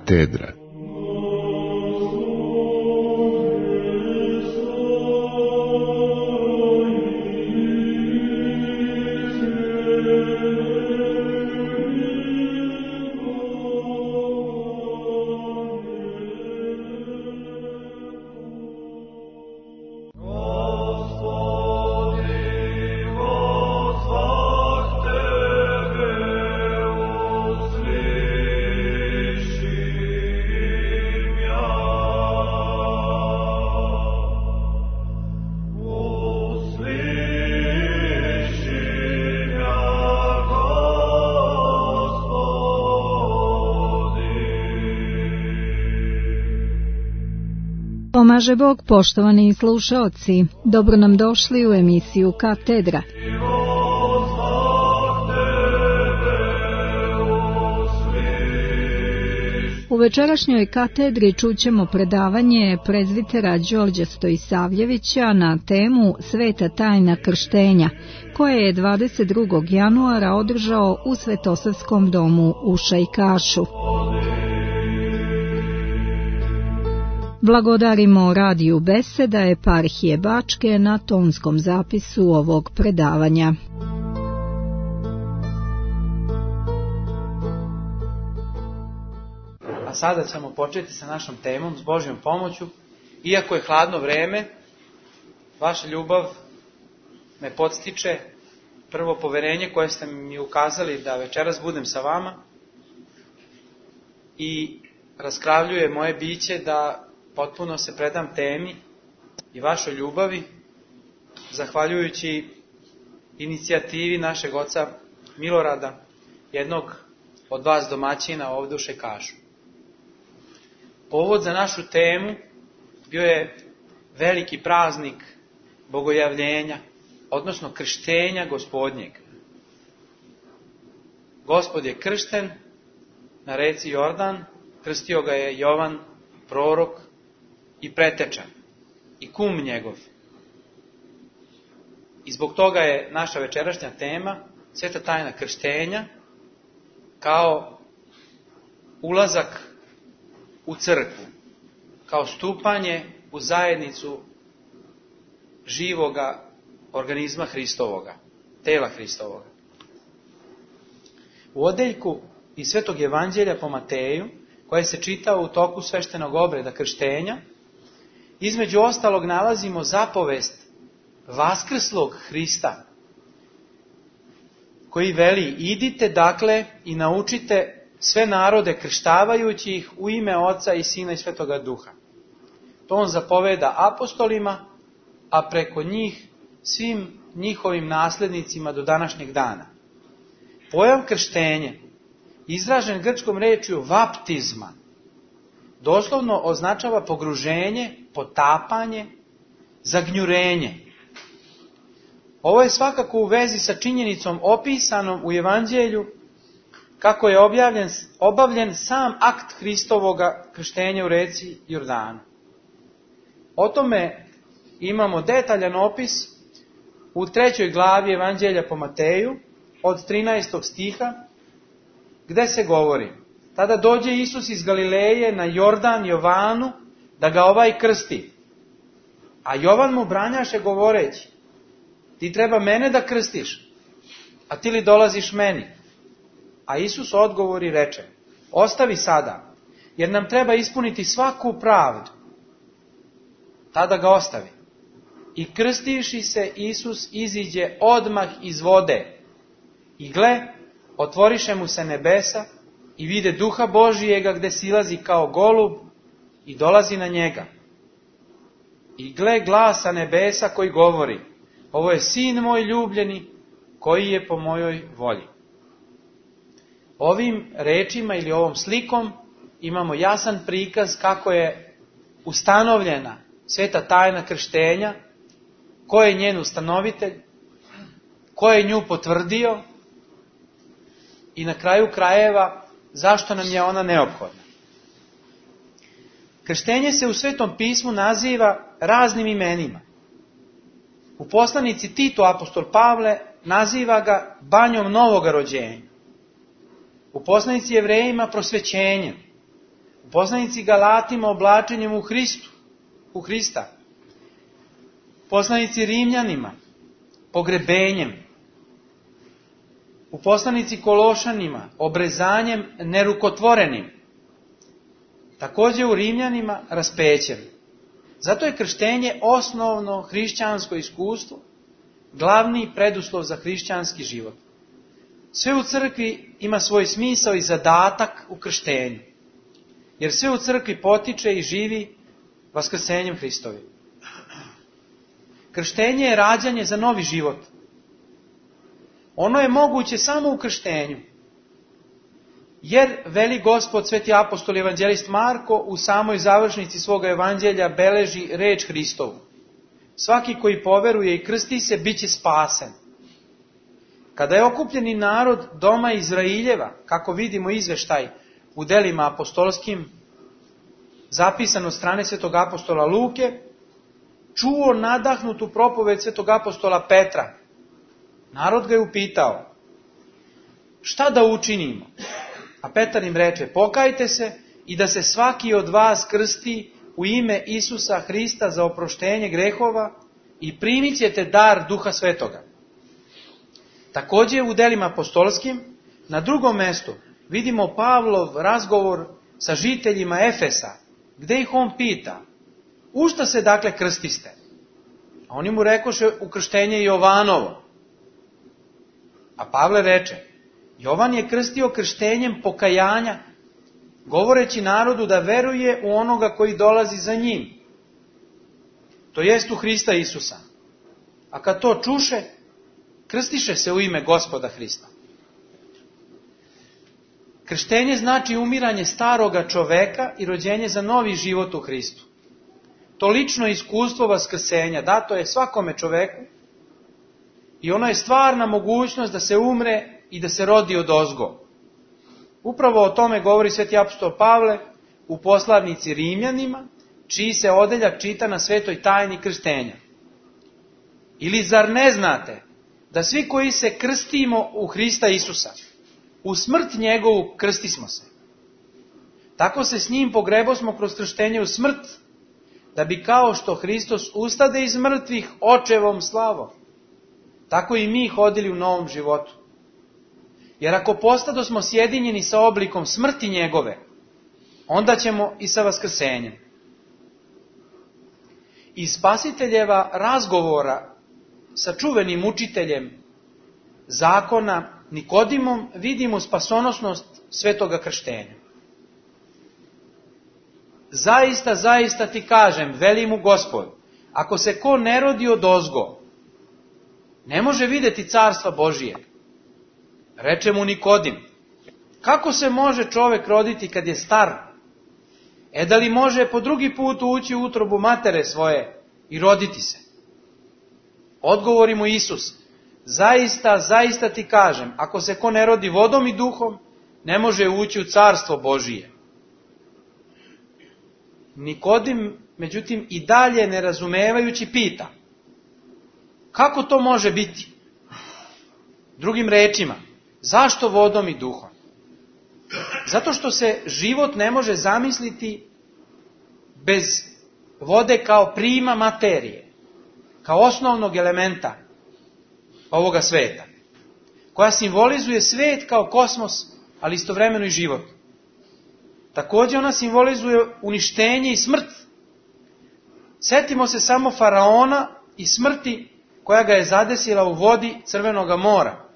Katedra. Pomaže Bog, poštovani slušaoci, dobro nam došli u emisiju Katedra. U večerašnjoj katedri čućemo predavanje prezbitera Đorđa Stojisavljevića na temu Sveta tajna krštenja, koje je 22. januara održao u Svetosavskom domu u Šajkašu. Blagodarimo radiju Beseda eparhije Bačke na tonskom zapisu ovog predavanja. A sada ćemo početi sa našom temom s Božjom pomoću. Iako je hladno vreme, vaša ljubav me podstiče, prvo poverenje koje ste mi ukazali da večeras budem sa vama i raskravljuje moje biće da potpuno se predam temi i vašoj ljubavi, zahvaljujući inicijativi našeg oca Milorada, jednog od vas domaćina ovdje u Šajkašu. Povod za našu temu bio je veliki praznik bogojavljenja, odnosno krštenja Gospodnjeg. Gospod je kršten na reci Jordan, krstio ga je Jovan, prorok i preteča i kum njegov. I zbog toga je naša večerašnja tema Sveta tajna krštenja kao ulazak u crkvu, kao stupanje u zajednicu živoga organizma Hristovoga, tela Hristovoga. U odeljku iz Svetog evanđelja po Mateju, koje se čita u toku sveštenog obreda krštenja, između ostalog nalazimo zapovest vaskrslog Hrista, koji veli: idite dakle i naučite sve narode krštavajući ih u ime Oca i Sina i Svetoga Duha. To on zapoveda apostolima, a preko njih svim njihovim naslednicima do današnjeg dana. Pojam krštenje, izražen grčkom rečju vaptizma, doslovno označava pogruženje, potapanje, zagnjurenje. Ovo je svakako u vezi sa činjenicom opisanom u Evanđelju kako je obavljen sam akt Hristovoga krštenja u reci Jordanu. O tome imamo detaljan opis u 3. glavi Evanđelja po Mateju od 13. stiha, gde se govori: tada dođe Isus iz Galileje na Jordan Jovanu da ga ovaj krsti. A Jovan mu branjaše govoreći: ti treba mene da krstiš, a ti li dolaziš meni? A Isus odgovori reče: ostavi sada, jer nam treba ispuniti svaku pravdu. Tada ga ostavi. I krstivši se, Isus iziđe odmah iz vode. I gle, otvoriše mu se nebesa i vide Duha Božijega gde silazi kao golub i dolazi na njega. I gle glasa nebesa koji govori: ovo je sin moj ljubljeni, koji je po mojoj volji. Ovim rečima ili ovom slikom imamo jasan prikaz kako je ustanovljena sveta tajna krštenja, ko je njen ustanovitelj, ko je nju potvrdio i na kraju krajeva zašto nam je ona neophodna. Krštenje se u Svetom pismu naziva raznim imenima. U poslanici Titu apostol Pavle naziva ga banjom novoga rođenja. U poslanici Jevrejima prosvećenjem. U poslanici Galatima oblačenjem u Hrista. Poslanici Rimljanima pogrebenjem. U poslanici Kološanima obrezanjem nerukotvorenim. Također u Rimljanima raspećem. Zato je krštenje osnovno hrišćansko iskustvo, glavni preduslov za hrišćanski život. Sve u crkvi ima svoj smisao i zadatak u krštenju. Jer sve u crkvi potiče i živi vaskrsenjem Hristovim. Krštenje je rađanje za novi život. Ono je moguće samo u krštenju. Jer, veli Gospod, sveti apostol i evanđelist Marko, u samoj završnici svoga evanđelja beleži reč Hristovu. Svaki koji poveruje i krsti se, bit će spasen. Kada je okupljeni narod doma Izraeljeva, kako vidimo izveštaj u delima apostolskim, zapisan od strane svetog apostola Luke, čuo nadahnutu propoved svetog apostola Petra. Narod ga je upitao, šta da učinimo? A Petar im reče, pokajte se i da se svaki od vas krsti u ime Isusa Hrista za oproštenje grehova i primit ćete dar Duha Svetoga. Također u delima apostolskim, na drugom mjestu, vidimo Pavlov razgovor sa žiteljima Efesa, gdje ih on pita, u šta se dakle krstiste? A oni mu rekoše, u krštenje Jovanovo. A Pavle reče, Jovan je krstio krštenjem pokajanja, govoreći narodu da veruje u onoga koji dolazi za njim. To jest u Hrista Isusa. A kad to čuše, krstiše se u ime Gospoda Hrista. Krštenje znači umiranje staroga čoveka i rođenje za novi život u Hristu. To lično iskustvo vaskrsenja dato je svakome čoveku i ono je stvarna mogućnost da se umre i da se rodi odozgo. Upravo o tome govori sveti apostol Pavle u poslanici Rimljanima, čiji se odeljak čita na svetoj tajni krštenja. Ili zar ne znate da svi koji se krstimo u Hrista Isusa, u smrt njegovu krstismo se. Tako se s njim pogrebosmo kroz krštenje u smrt, da bi kao što Hristos ustade iz mrtvih očevom slavom, tako i mi hodili u novom životu. Jer ako postadosmo sjedinjeni sa oblikom smrti njegove, onda ćemo i sa vaskrsenjem. Iz Spasiteljeva razgovora sa čuvenim učiteljem zakona Nikodimom vidimo spasonosnost svetoga krštenja. Zaista, zaista ti kažem, veli mu Gospod, ako se ko ne rodi odozgo, ne može vidjeti carstva Božije. Reče mu Nikodim, kako se može čovjek roditi kad je star? Da li može po drugi put ući u utrobu matere svoje i roditi se? Odgovori mu Isus, zaista, zaista ti kažem, ako se ko ne rodi vodom i duhom, ne može ući u carstvo Božije. Nikodim, međutim, i dalje nerazumevajući pita, kako to može biti? Drugim rečima, zašto vodom i duhom? Zato što se život ne može zamisliti bez vode kao prima materije, kao osnovnog elementa ovoga sveta, koja simbolizuje svet kao kosmos, ali istovremeno i život. Također ona simbolizuje uništenje i smrt. Sjetimo se samo faraona i smrti koja ga je zadesila u vodi Crvenoga mora.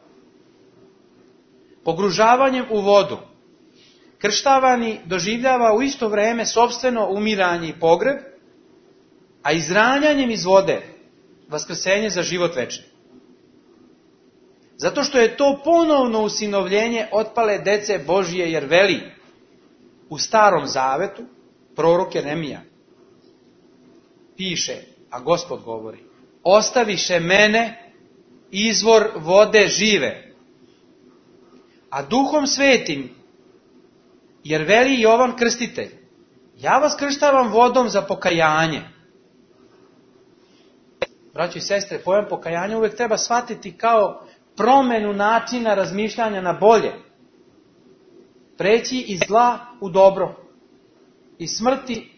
Pogružavanjem u vodu krštavani doživljava u isto vrijeme sopstveno umiranje i pogreb, a izranjanjem iz vode vaskrsenje za život večni. Zato što je to ponovno usinovljenje otpale dece Božije, jer veli u Starom Zavetu prorok Jeremija piše, a Gospod govori, ostaviše mene izvor vode žive, a Duhom Svetim, jer veli Jovan Krstitelj, ja vas krštavam vodom za pokajanje. Braćo i sestre, pojam pokajanja uvijek treba shvatiti kao promjenu načina razmišljanja na bolje. Preći iz zla u dobro. iz smrti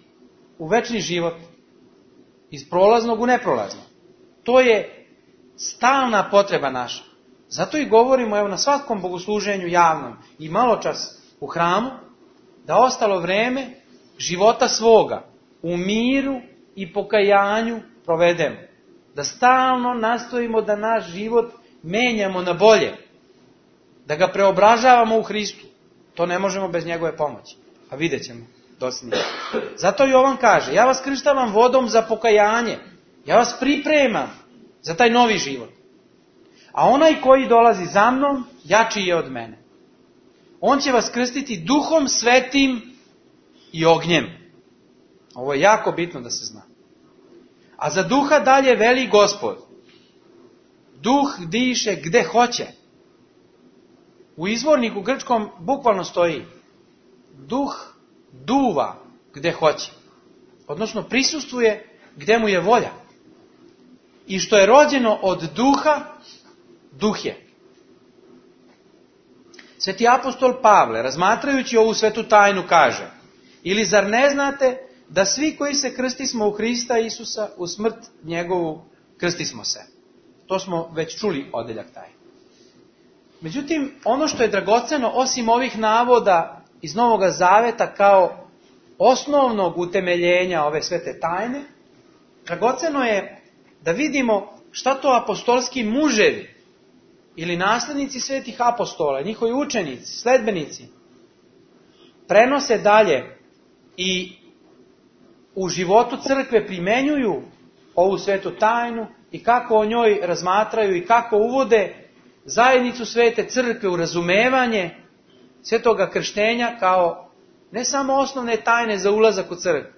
u večni život, iz prolaznog u neprolazno. To je stalna potreba naša. Zato i govorimo evo na svakom bogosluženju javnom i maločas u hramu, da ostalo vreme života svoga u miru i pokajanju provedemo. Da stalno nastojimo da naš život menjamo na bolje. Da ga preobražavamo u Hristu. To ne možemo bez njegove pomoći. A vidjet ćemo dosljednije. Zato Jovan kaže, ja vas krštavam vodom za pokajanje. Ja vas pripremam za taj novi život. A onaj koji dolazi za mnom, jači je od mene. On će vas krstiti Duhom Svetim i ognjem. Ovo je jako bitno da se zna. A za duha dalje veli Gospod. Duh diše gde hoće. U izvorniku grčkom bukvalno stoji. Duh duva gde hoće. Odnosno prisustvuje gde mu je volja. I što je rođeno od duha, duh je. Sveti apostol Pavle, razmatrajući ovu svetu tajnu, kaže: ili zar ne znate da svi koji se krstismo u Hrista Isusa, u smrt njegovu krstismo se? To smo već čuli odeljak taj. Međutim, ono što je dragoceno, osim ovih navoda iz Novoga Zaveta kao osnovnog utemeljenja ove svete tajne, dragoceno je da vidimo šta to apostolski muževi ili naslednici svetih apostola, njihovi učenici, sledbenici, prenose dalje i u životu crkve primenjuju ovu svetu tajnu i kako o njoj razmatraju i kako uvode zajednicu svete crkve u razumevanje svetoga krštenja kao ne samo osnovne tajne za ulazak u crkvu,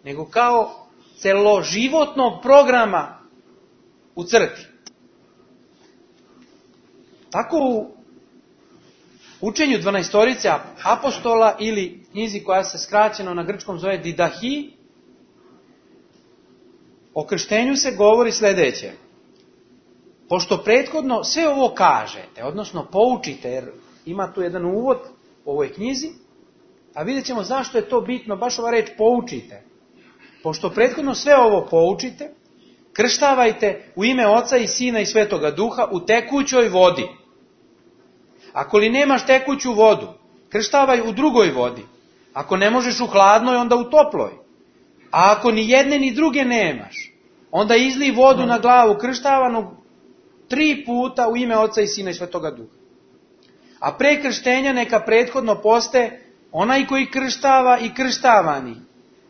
nego kao celoživotnog programa u crkvi. Tako u učenju 12 apostola ili knjizi koja se skraćeno na grčkom zove Didahi, o krštenju se govori sljedeće. Pošto prethodno sve ovo kažete, odnosno poučite, jer ima tu jedan uvod u ovoj knjizi, a vidjet ćemo zašto je to bitno, baš ova reč poučite. Pošto prethodno sve ovo poučite, krštavajte u ime Oca i Sina i Svetoga Duha u tekućoj vodi. Ako li nemaš tekuću vodu, krštavaj u drugoj vodi. Ako ne možeš u hladnoj, onda u toploj. A ako ni jedne ni druge nemaš, onda izlij vodu na glavu krštavanog 3 puta u ime Oca i Sina i Svetoga Duha. A pre krštenja neka prethodno poste onaj koji krštava i krštavani.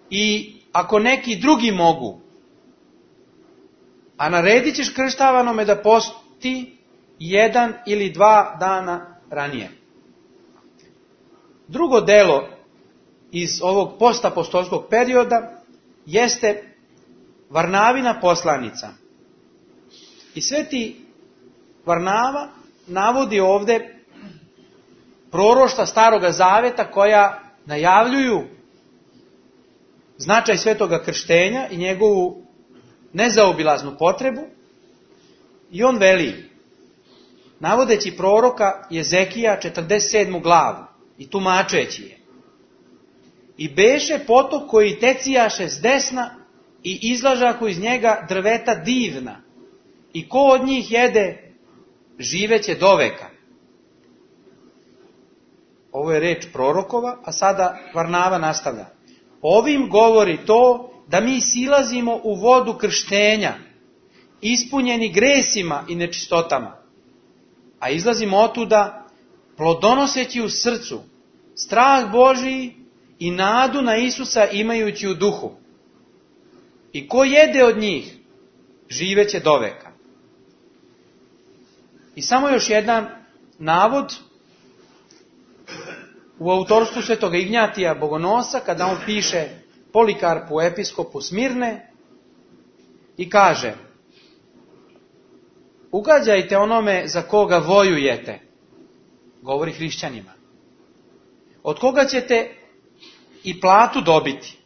I ako neki drugi mogu, a naredit ćeš krštavanome da posti 1 ili 2 dana ranije. Drugo delo iz ovog postapostolskog perioda jeste Varnavina poslanica. I sveti Varnava navodi ovde proroštva Staroga Zaveta koja najavljuju značaj svetoga krštenja i njegovu nezaobilaznu potrebu. I on veli, navodeći proroka Jezekija 47. glavu i tumačeći je: i beše potok koji tecijaše s desna i izlažahu iz njega drveta divna, i ko od njih jede, živeće doveka. Ovo je reč prorokova, a sada Varnava nastavlja. Ovim govori to da mi silazimo u vodu krštenja, ispunjeni gresima i nečistotama, a izlazimo otuda plodonoseći u srcu, strah Božiji i nadu na Isusa imajući u duhu. I ko jede od njih, živeće doveka. I samo još jedan navod u autorstvu svetoga Ignjatija Bogonosa, kada on piše Polikarpu, episkopu Smirne, i kaže: ugađajte onome za koga vojujete, govori hrišćanima, od koga ćete i platu dobiti.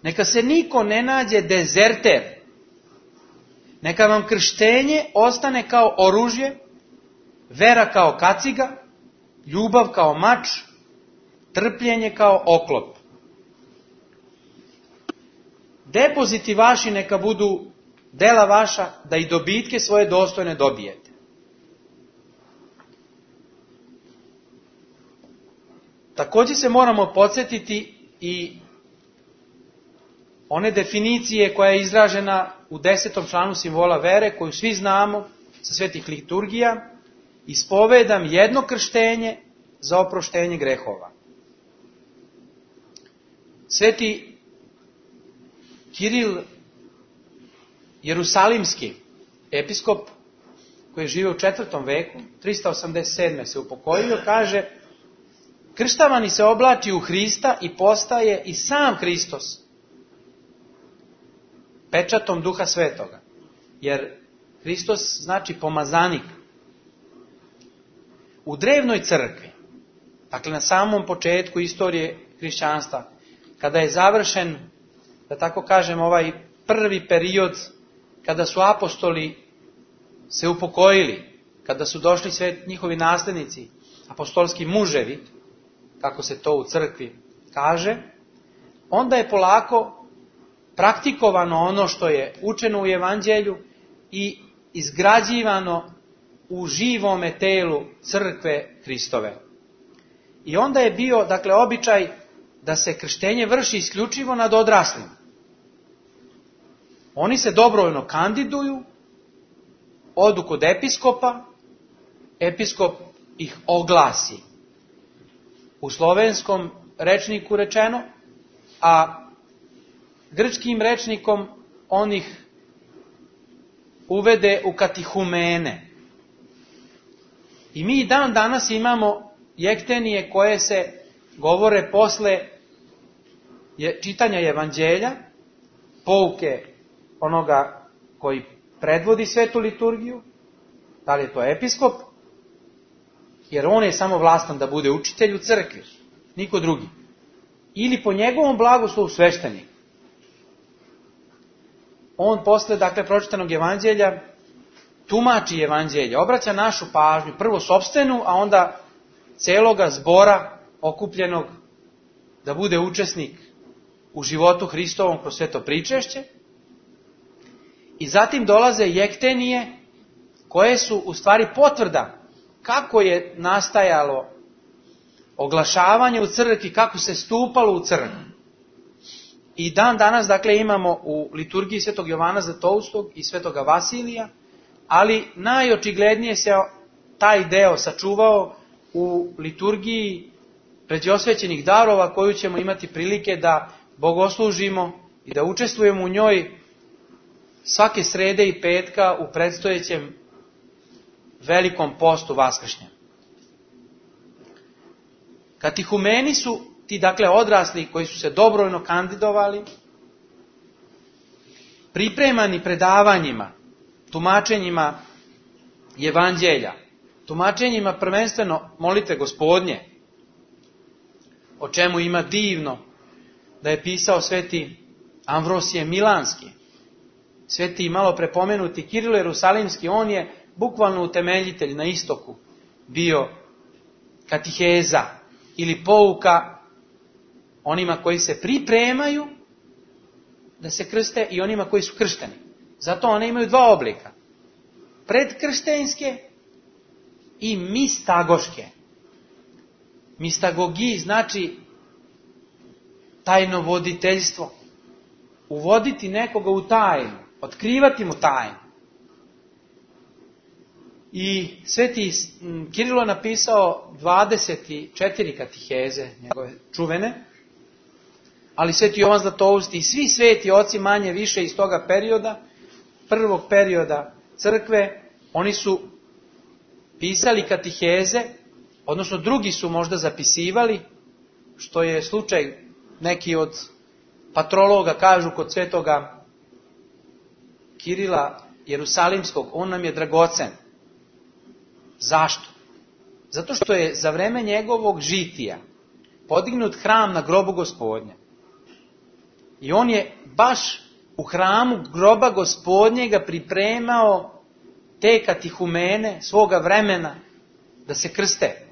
Neka se niko ne nađe dezerter. Neka vam krštenje ostane kao oružje, vera kao kaciga, ljubav kao mač, trpljenje kao oklop. depoziti vaši neka budu dela vaša, da i dobitke svoje dostojne dobijete. Također se moramo podsjetiti i one definicije koja je izražena u 10. članu simbola vere, koju svi znamo sa svetih liturgija: ispovedam jedno krštenje za oproštenje grehova. Sveti Kiril Jerusalimski, episkop koji je živio u 4. veku, 387. se upokojio, kaže: krštavani se oblači u Hrista i postaje i sam Hristos pečatom Duha Svetoga. Jer Hristos znači pomazanik. U drevnoj crkvi, dakle na samom početku istorije hrišćanstva, kada je završen, da tako kažem, ovaj prvi period kada su apostoli se upokojili, kada su došli sve njihovi naslednici, apostolski muževi, kako se to u crkvi kaže, onda je polako praktikovano ono što je učeno u evanđelju i izgrađivano u živome telu crkve Hristove. I onda je bio, dakle, običaj da se krštenje vrši isključivo nad odraslima. Oni se dobrovoljno kandiduju, odu kod episkopa, episkop ih oglasi. U slovenskom rečniku rečeno, a grčkim rečnikom on ih uvede u katihumene. I mi dan danas imamo jektenije koje se govore posle čitanja evanđelja, pouke onoga koji predvodi svetu liturgiju, da li je to episkop, jer on je samo vlastan da bude učitelj u crkvi, niko drugi. Ili po njegovom blagoslovu sveštenik. On posle, dakle, pročitanog evanđelja tumači evanđelje, obraća našu pažnju, prvo sopstvenu, a onda celoga zbora okupljenog da bude učesnik u životu Hristovom kroz sveto pričešće. I zatim dolaze jektenije koje su u stvari potvrda kako je nastajalo oglašavanje u crkvi, kako se stupalo u crkvi. I dan danas, dakle, imamo u liturgiji svetog Jovana Zlatoustog i svetoga Vasilija, ali najočiglednije se taj deo sačuvao u liturgiji pređosvećenih darova, koju ćemo imati prilike da bogoslužimo i da učestvujemo u njoj svake srede i petka u predstojećem velikom postu vaskršnjem. Katihumeni su ti, dakle, odrasli koji su se dobrovoljno kandidovali, pripremani predavanjima, tumačenjima evanđelja, tumačenjima prvenstveno molitve Gospodnje, o čemu ima divno da je pisao sveti Amvrosije Milanski, sveti malo prepomenuti Kirilo Jerusalimski. On je bukvalno utemeljitelj na istoku bio katiheza ili pouka onima koji se pripremaju da se krste i onima koji su kršteni. Zato one imaju dva oblika: predkrštenjske i mistagoške. Mistagogiji znači tajnovoditeljstvo. Uvoditi nekoga u tajnu, otkrivati mu tajnu. I sveti Kirilo napisao 24 katiheze, njegove čuvene, ali sveti Jovan Zlatousti i svi sveti oci manje više iz toga perioda, prvog perioda crkve, oni su pisali katiheze, odnosno drugi su možda zapisivali, što je slučaj, neki od patrologa kažu kod svetoga Kirila Jerusalimskog, on nam je dragocen. Zašto? Zato što je za vreme njegovog žitija podignut hram na grobu Gospodnja. I on je baš u hramu groba Gospodnjega pripremao te katihumene svoga vremena da se krste.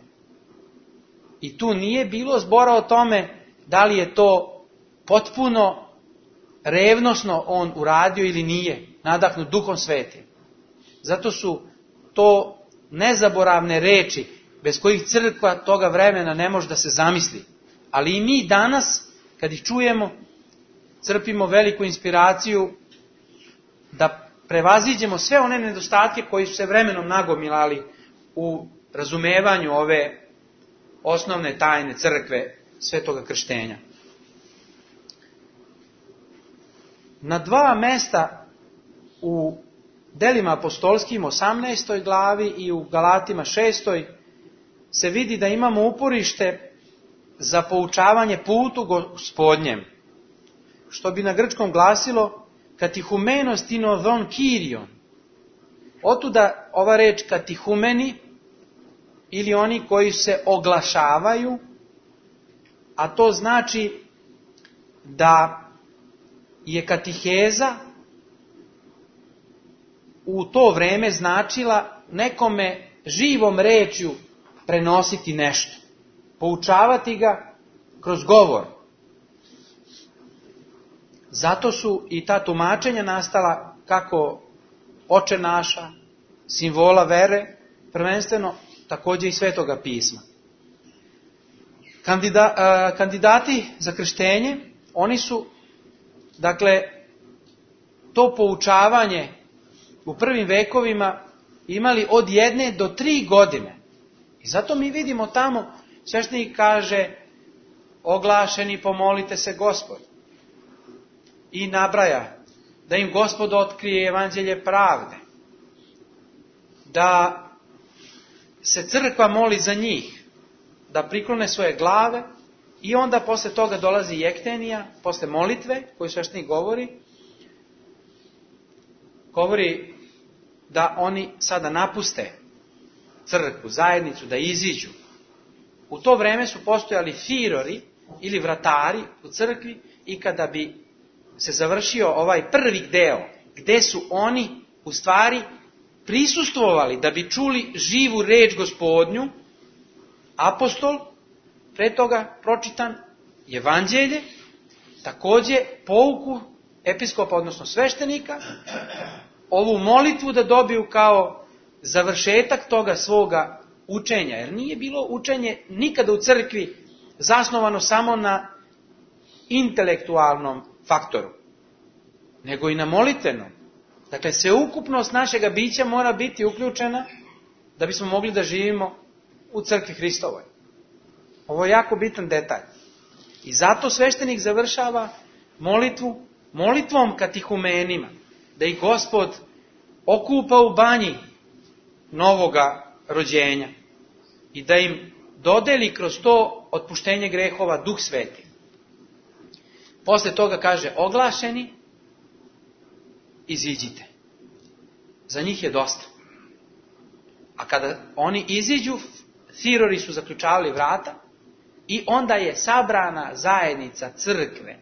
I tu nije bilo zbora o tome da li je to potpuno revnosno on uradio ili nije nadahnut Duhom Svetim. Zato su to nezaboravne reči bez kojih crkva toga vremena ne može da se zamisli. Ali i mi danas, kad ih čujemo, crpimo veliku inspiraciju da prevaziđemo sve one nedostatke koji su se vremenom nagomilali u razumevanju ove osnovne tajne crkve svetoga krštenja. Na 2 mesta u Delima apostolskim 18. glavi i u Galatima 6. se vidi da imamo uporište za poučavanje putu Gospodnjem, što bi na grčkom glasilo katihumenos tinodon kirion. Otuda ova reč katihumeni ili oni koji se oglašavaju, a to znači da je katiheza u to vreme značila nekome živom rečju prenositi nešto, poučavati ga kroz govor. Zato su i ta tumačenja nastala kako Oče naša, simbola vere, prvenstveno također i Svetoga pisma. Kandidati za krštenje, oni su, dakle, to poučavanje u prvim vekovima imali od 1 do 3 godine. I zato mi vidimo tamo, sveštenik kaže, oglašeni pomolite se Gospod. I nabraja da im Gospod otkrije evanđelje pravde. Da se crkva moli za njih, da priklone svoje glave i onda posle toga dolazi jektenija, posle molitve koju sveštenik govori da oni sada napuste crkvu, zajednicu, da iziđu. U to vreme su postojali firori ili vratari u crkvi i kada bi se završio ovaj prvi deo, gde su oni u stvari prisustvovali da bi čuli živu reč Gospodnju, apostol, pre toga pročitan evanđelje, takođe pouku episkopa, odnosno sveštenika, ovu molitvu da dobiju kao završetak toga svoga učenja. Jer nije bilo učenje nikada u crkvi zasnovano samo na intelektualnom faktoru, nego i na molitvenom. Dakle, sveukupnost našega bića mora biti uključena da bismo mogli da živimo u crkvi Hristovoj. Ovo je jako bitan detalj. I zato sveštenik završava molitvom katihumenima, da ih Gospod okupa u banji novoga rođenja i da im dodeli kroz to otpuštenje grehova Duh Sveti. Posle toga kaže oglašeni, iziđite. Za njih je dosta. A kada oni iziđu, firori su zaključavali vrata i onda je sabrana zajednica crkve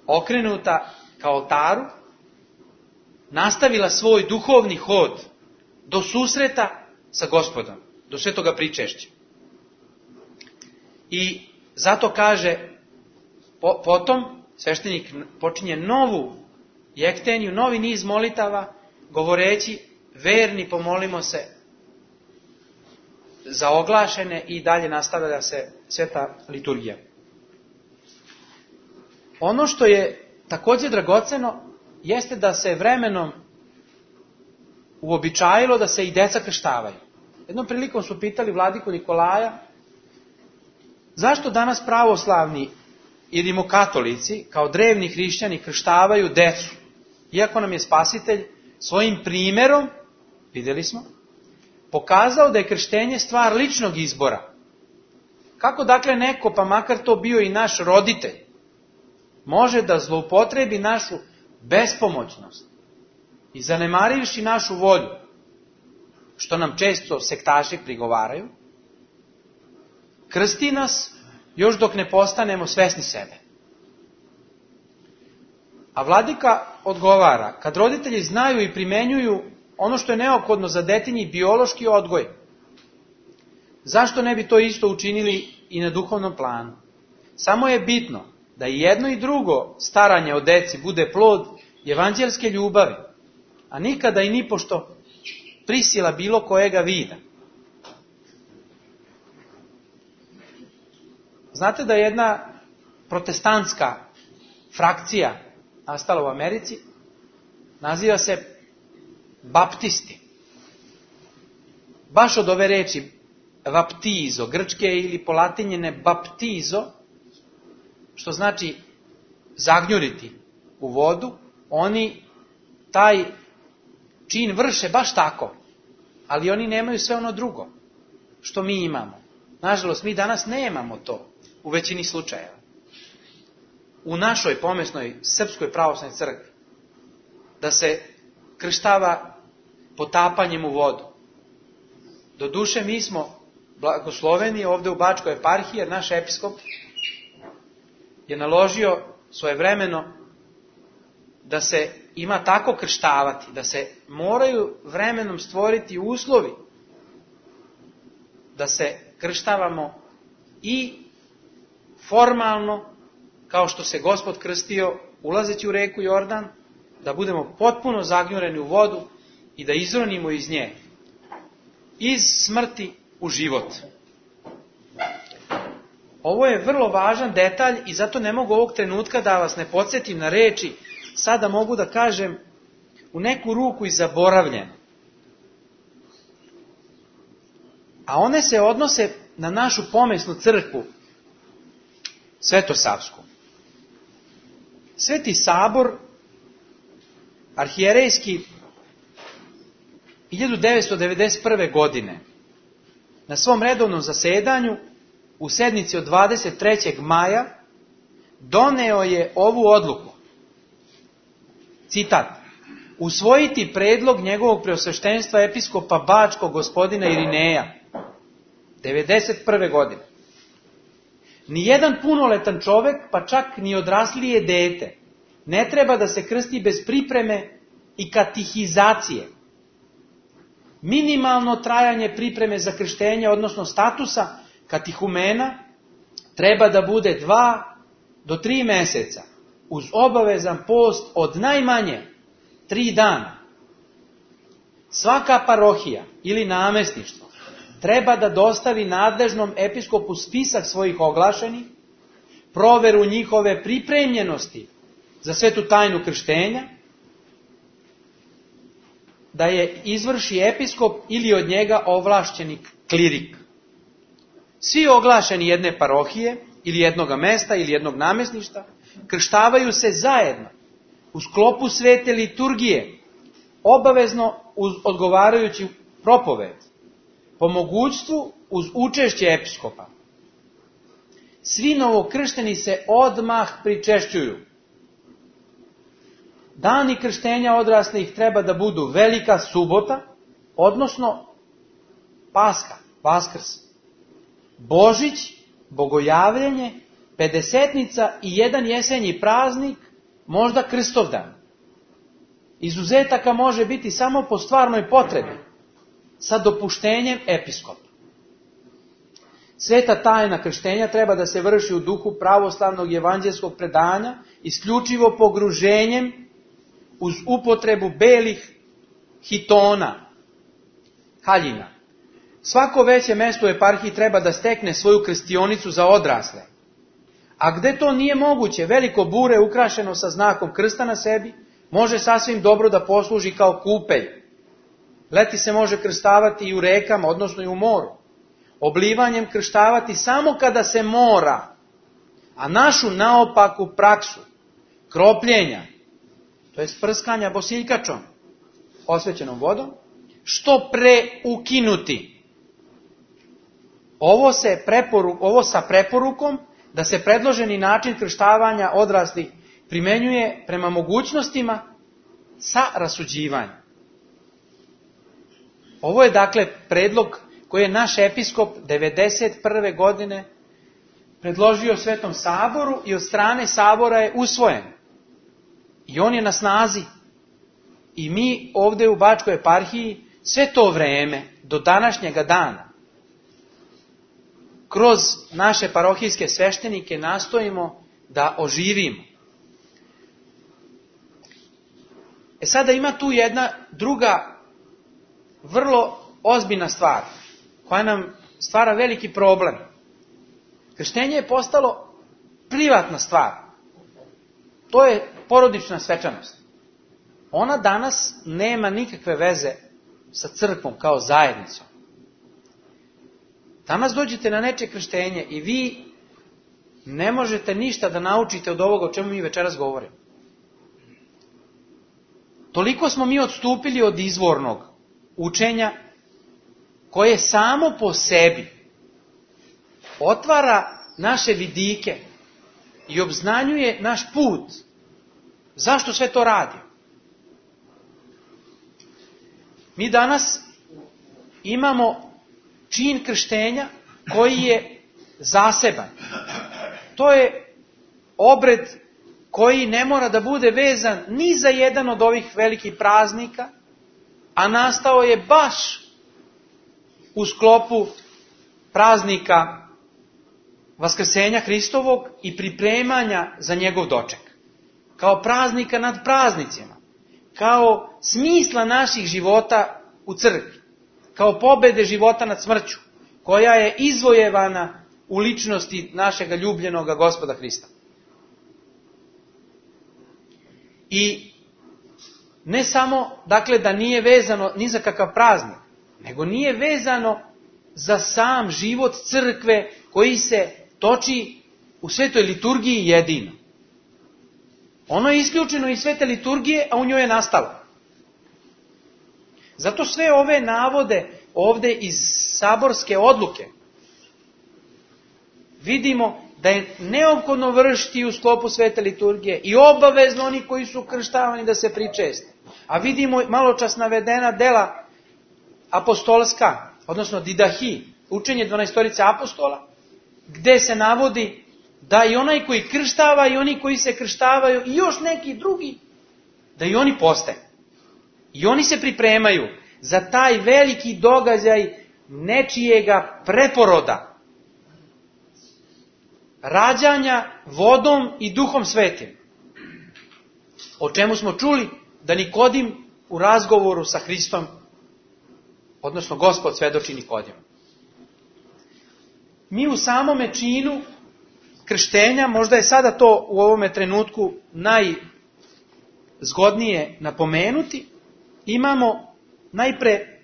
okrenuta ka oltaru, nastavila svoj duhovni hod do susreta sa Gospodom, do svetoga pričešća. I zato kaže, potom sveštenik počinje novu jekteniju, novi niz molitava, govoreći, verni pomolimo se za oglašene, i dalje nastavlja se sveta liturgija. Ono što je također dragoceno jeste da se vremenom uobičajilo da se i deca krštavaju. Jednom prilikom su pitali vladiku Nikolaja zašto danas pravoslavni i rimokatolici kao drevni hrišćani krštavaju decu, iako nam je Spasitelj svojim primjerom, vidjeli smo, pokazao da je krštenje stvar ličnog izbora. Kako dakle neko, pa makar to bio i naš roditelj, može da zloupotrebi našu bespomoćnost i zanemarivši našu volju, što nam često sektaši prigovaraju, krsti nas još dok ne postanemo svesni sebe. A vladika odgovara, kad roditelji znaju i primenjuju ono što je neophodno za detinji biološki odgoj, zašto ne bi to isto učinili i na duhovnom planu? Samo je bitno da i jedno i drugo staranje o deci bude plod evanđelske ljubavi, a nikada i nipošto prisila bilo kojega vida. Znate da je jedna protestantska frakcija nastala u Americi, naziva se baptisti. Baš od ove reči baptizo, grčke ili polatinjene baptizo, što znači zagnjuriti u vodu, oni taj čin vrše baš tako, ali oni nemaju sve ono drugo što mi imamo. Nažalost, mi danas nemamo to u većini slučajeva. U našoj pomesnoj Srpskoj pravoslavnoj crkvi da se krštava potapanjem u vodu. Doduše, mi smo blagosloveni ovdje u Bačkoj eparhiji, jer naš episkop je naložio svojevremeno da se ima tako krštavati, da se moraju vremenom stvoriti uslovi da se krštavamo i formalno, kao što se Gospod krstio ulazeći u reku Jordan, da budemo potpuno zagnjureni u vodu i da izronimo iz nje, iz smrti u život. Ovo je vrlo važan detalj i zato ne mogu ovog trenutka da vas ne podsjetim na reči, sada mogu da kažem u neku ruku i zaboravljene. A one se odnose na našu pomesnu crkvu, Svetosavsku. Sveti Sabor arhijerejski 1991. godine na svom redovnom zasedanju u sednici od 23. maja doneo je ovu odluku. Citat: usvojiti predlog njegovog preosveštenstva episkopa Bačkog gospodina Irineja 1991. godine. Nijedan punoletan čovek, pa čak ni odraslije dete, ne treba da se krsti bez pripreme i katihizacije. Minimalno trajanje pripreme za krštenje, odnosno statusa katihumena, treba da bude 2 do 3 meseca, uz obavezan post od najmanje 3 dana. Svaka parohija ili namestništvo treba da dostavi nadležnom episkopu spisak svojih oglašenih, proveru njihove pripremljenosti za svetu tajnu krštenja, da je izvrši episkop ili od njega ovlašćeni klirik. Svi oglašeni jedne parohije ili jednoga mesta ili jednog namestništva krštavaju se zajedno u sklopu svete liturgije, obavezno uz odgovarajući propoved, po mogućstvu uz učešće episkopa. Svi novokršteni se odmah pričešćuju. Dani krštenja odraslih treba da budu Velika subota, odnosno Paska, Vaskrs, Božić, Bogojavljenje, Pedesetnica i jedan jesenji praznik, možda Krstovdan. Izuzetaka može biti samo po stvarnoj potrebi, sa dopuštenjem episkopa. Sveta tajna krštenja treba da se vrši u duhu pravoslavnog evanđelskog predanja, isključivo pogruženjem uz upotrebu belih hitona, haljina. Svako veće mesto u eparhiji treba da stekne svoju krstionicu za odrasle. A gde to nije moguće, veliko bure ukrašeno sa znakom krsta na sebi, može sasvim dobro da posluži kao kupelj. Leti se može krstavati i u rekama, odnosno i u moru. Oblivanjem krštavati samo kada se mora, a našu naopaku praksu kropljenja, to je sprskanja bosiljkačom, osvećenom vodom, što pre ukinuti. Ovo sa preporukom da se predloženi način krštavanja odraslih primenjuje prema mogućnostima sa rasuđivanjem. Ovo je dakle predlog koji je naš episkop 1991. godine predložio Svetom Saboru i od strane Sabora je usvojen. I on je na snazi. I mi ovdje u Bačkoj eparhiji sve to vreme, do današnjega dana, kroz naše parohijske sveštenike nastojimo da oživimo. Sada ima tu jedna druga vrlo ozbiljna stvar koja nam stvara veliki problem. Krštenje je postalo privatna stvar. To je porodična svečanost. Ona danas nema nikakve veze sa crkvom kao zajednicom. Danas dođete na nečije krštenje i vi ne možete ništa da naučite od ovoga o čemu mi večeras govorimo. Toliko smo mi odstupili od izvornog učenja koje samo po sebi otvara naše vidike i obznanjuje naš put. Zašto sve to radi? Mi danas imamo čin krštenja koji je zaseban. To je obred koji ne mora da bude vezan ni za jedan od ovih velikih praznika, a nastao je baš u sklopu praznika Vaskrsenja Hristovog i pripremanja za njegov doček. Kao praznika nad praznicima, kao smisla naših života u crkvi, kao pobede života nad smrću, koja je izvojevana u ličnosti našega ljubljenoga Gospoda Hrista. I ne samo, dakle, da nije vezano ni za kakav praznik, nego nije vezano za sam život crkve koji se toči u svetoj liturgiji jedino. Ono je isključeno iz svete liturgije, a u njoj je nastalo. Zato sve ove navode ovde iz saborske odluke vidimo da je neophodno vršiti u sklopu svete liturgije i obavezno oni koji su krštavani da se pričeste. A vidimo maločas navedena dela apostolska, odnosno didahi, učenje 12 apostola, gde se navodi da i onaj koji krštava i oni koji se krštavaju i još neki drugi, da i oni poste. I oni se pripremaju za taj veliki događaj nečijega preporoda, rađanja vodom i duhom svetim. O čemu smo čuli da Nikodim u razgovoru sa Hristom, odnosno Gospod svedoči Nikodimu. Mi u samome činu krštenja, možda je sada to u ovome trenutku najzgodnije napomenuti, imamo najpre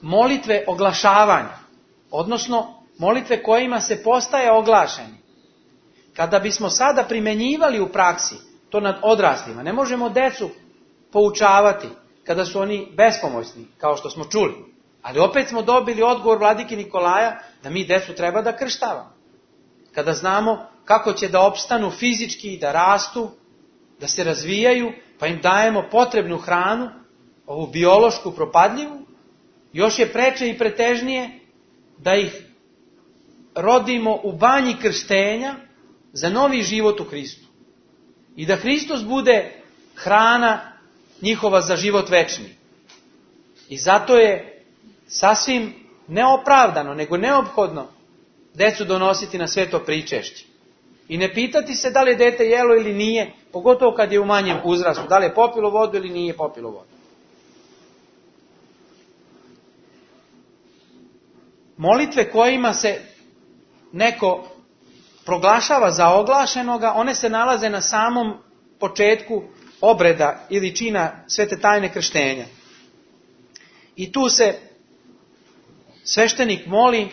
molitve oglašavanja, odnosno molitve kojima se postaje oglašeni. Kada bismo sada primenjivali u praksi to nad odraslima, ne možemo decu poučavati kada su oni bespomoćni, kao što smo čuli. Ali opet smo dobili odgovor vladike Nikolaja da mi decu treba da krštavamo. Kada znamo kako će da opstanu fizički, da rastu, da se razvijaju, pa im dajemo potrebnu hranu, ovu biološku propadljivu, još je preče i pretežnije da ih rodimo u banji krštenja za novi život u Hristu. I da Hristos bude hrana njihova za život večni. I zato je sasvim neopravdano, nego neophodno decu donositi na sveto pričešće. I ne pitati se da li je dete jelo ili nije, pogotovo kad je u manjem uzrastu, da li je popilo vodu ili nije popilo vodu. Molitve kojima se neko proglašava za oglašenoga, one se nalaze na samom početku obreda ili čina svete tajne krštenja. I tu se sveštenik moli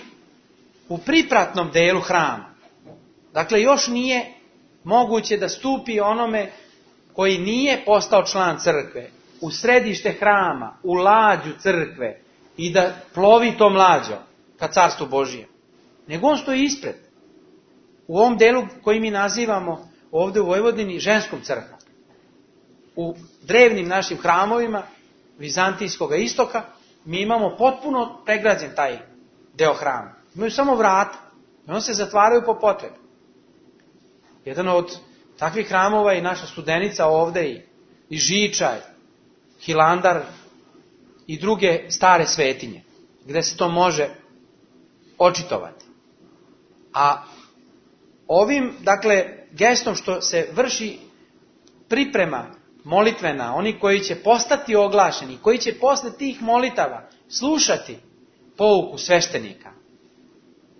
u pripratnom delu hrama. Dakle, još nije moguće da stupi onome koji nije postao član crkve u središte hrama, u lađu crkve i da plovi tom lađom ka carstvu Božijem. Nego on stoji ispred. U ovom delu koji mi nazivamo ovdje u Vojvodini ženskom crkvom. U drevnim našim hramovima Vizantijskog istoka mi imamo potpuno pregrađen taj deo hrama. Imaju samo vrata i on se zatvaraju po potrebi. Jedan od takvih hramova je naša Studenica ovde i Žiča, Hilandar i druge stare svetinje, gde se to može očitovati. A ovim, dakle, gestom što se vrši priprema molitvena, oni koji će postati oglašeni, koji će posle tih molitava slušati pouku sveštenika,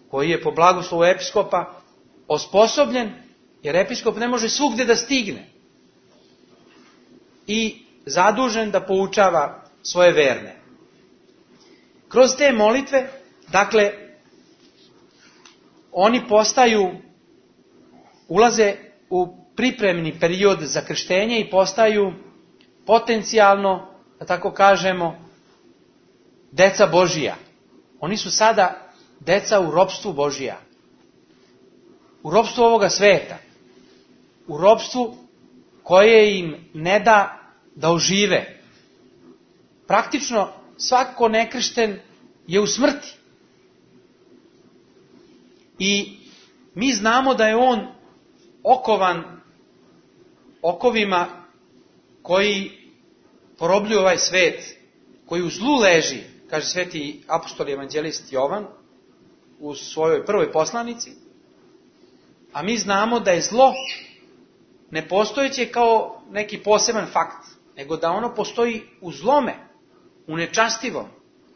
koji je po blagoslovu episkopa osposobljen, jer episkop ne može svugdje da stigne, i zadužen da poučava svoje verne. Kroz te molitve, dakle, oni ulaze u pripremni period za krštenje i postaju potencijalno, da tako kažemo, deca Božija. Oni su sada deca u ropstvu Božija. U ropstvu ovoga sveta. U ropstvu koje im ne da ožive. Praktično svako nekršten je u smrti. I mi znamo da je on okovan okovima koji porobljuju ovaj svet, koji u zlu leži, kaže sveti apostol i evanđelist Jovan u svojoj prvoj poslanici, a mi znamo da je zlo nepostojeće kao neki poseban fakt, nego da ono postoji u zlome, u nečastivom,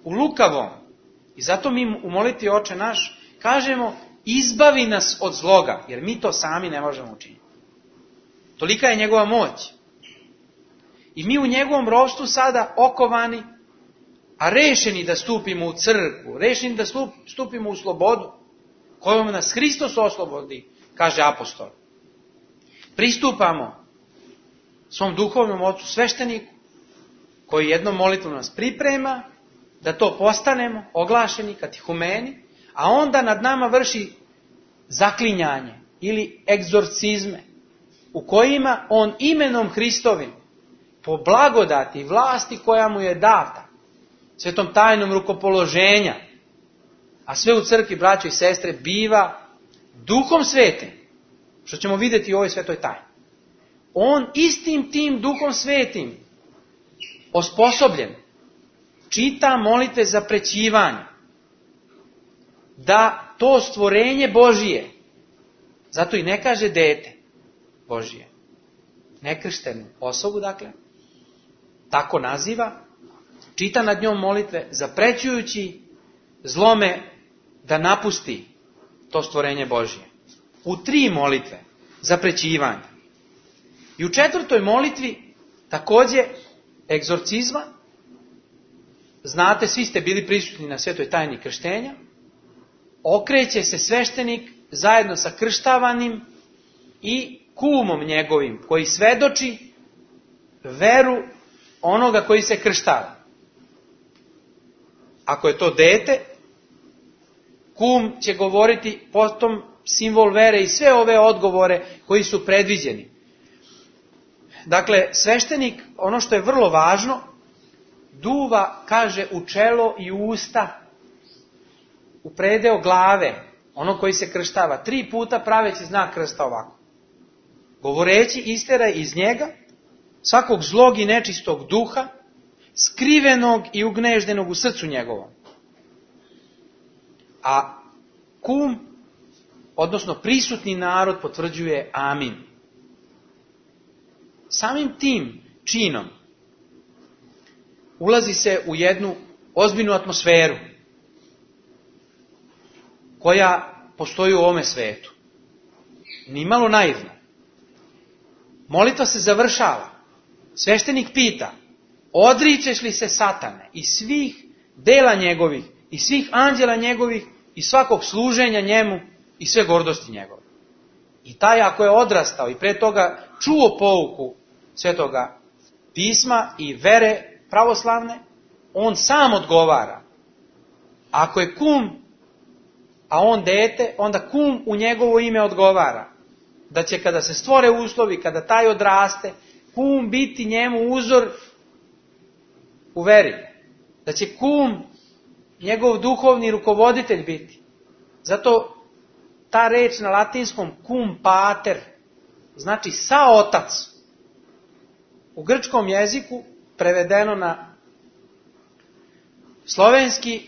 u lukavom. I zato mi u molitvi Oče naš kažemo: izbavi nas od zloga, jer mi to sami ne možemo učiniti. Tolika je njegova moć. I mi u njegovom ropstvu sada okovani, a rešeni da stupimo u crkvu, rešeni da stupimo u slobodu, kojom nas Hristos oslobodi, kaže apostol. Pristupamo svom duhovnom ocu svešteniku, koji jednom molitvom nas priprema, da to postanemo oglašeni, katihumeni, a onda nad nama vrši zaklinjanje ili egzorcizme, u kojima on imenom Hristovim, po blagodati i vlasti koja mu je data, svetom tajnom rukopoloženja, a sve u crkvi, braćo i sestre, biva Duhom Svetim, što ćemo vidjeti u ovoj svetoj tajni. On istim tim Duhom Svetim, osposobljen, čita molitve za prećivanje, da to stvorenje Božije, zato i ne kaže dete Božije, nekrštenu osobu, dakle, tako naziva, čita nad njom molitve, zaprećujući zlome da napusti to stvorenje Božije. U 3 molitve zaprećivanja. I u 4. molitvi također egzorcizma. Znate, svi ste bili prisutni na svetoj tajni krštenja. Okreće se sveštenik zajedno sa krštavanim i kumom njegovim, koji svedoči veru onoga koji se krštava. Ako je to dete, kum će govoriti potom simbol vere i sve ove odgovore koji su predviđeni. Dakle, sveštenik, ono što je vrlo važno, duva, kaže, u čelo i u usta, u predeo glave, ono koji se krštava, 3 puta praveći znak krsta ovako. Govoreći, isteraj iz njega svakog zlog i nečistog duha, skrivenog i ugneždenog u srcu njegovom. A kum, odnosno prisutni narod, potvrđuje amin. Samim tim činom ulazi se u jednu ozbiljnu atmosferu koja postoji u ovome svetu. Nimalo naivno. Molitva se završava. Sveštenik pita: odričeš li se Satane i svih dela njegovih i svih anđela njegovih i svakog služenja njemu i sve gordosti njegove? I taj, ako je odrastao i pre toga čuo pouku svetoga pisma i vere pravoslavne, on sam odgovara. Ako je kum, a on dete, onda kum u njegovo ime odgovara. Da će, kada se stvore uslovi, kada taj odraste, kum biti njemu uzor u veri. Da će kum njegov duhovni rukovoditelj biti. Zato ta reč na latinskom cum pater znači saotac. U grčkom jeziku, prevedeno na slovenski,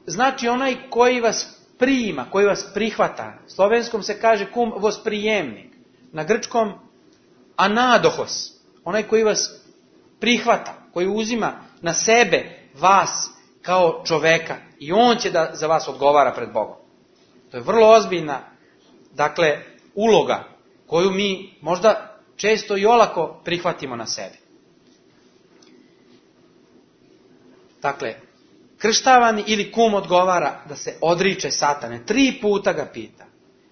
znači onaj koji vas prima, koji vas prihvata. Slovenskom se kaže cum vosprijemnik, na grčkom anadohos, onaj koji vas prihvata, koji uzima na sebe vas kao čoveka i on će da za vas odgovara pred Bogom. To je vrlo ozbiljna, dakle, uloga koju mi možda često i olako prihvatimo na sebe. Dakle, krštavani ili kum odgovara da se odriče satane. 3 puta ga pita.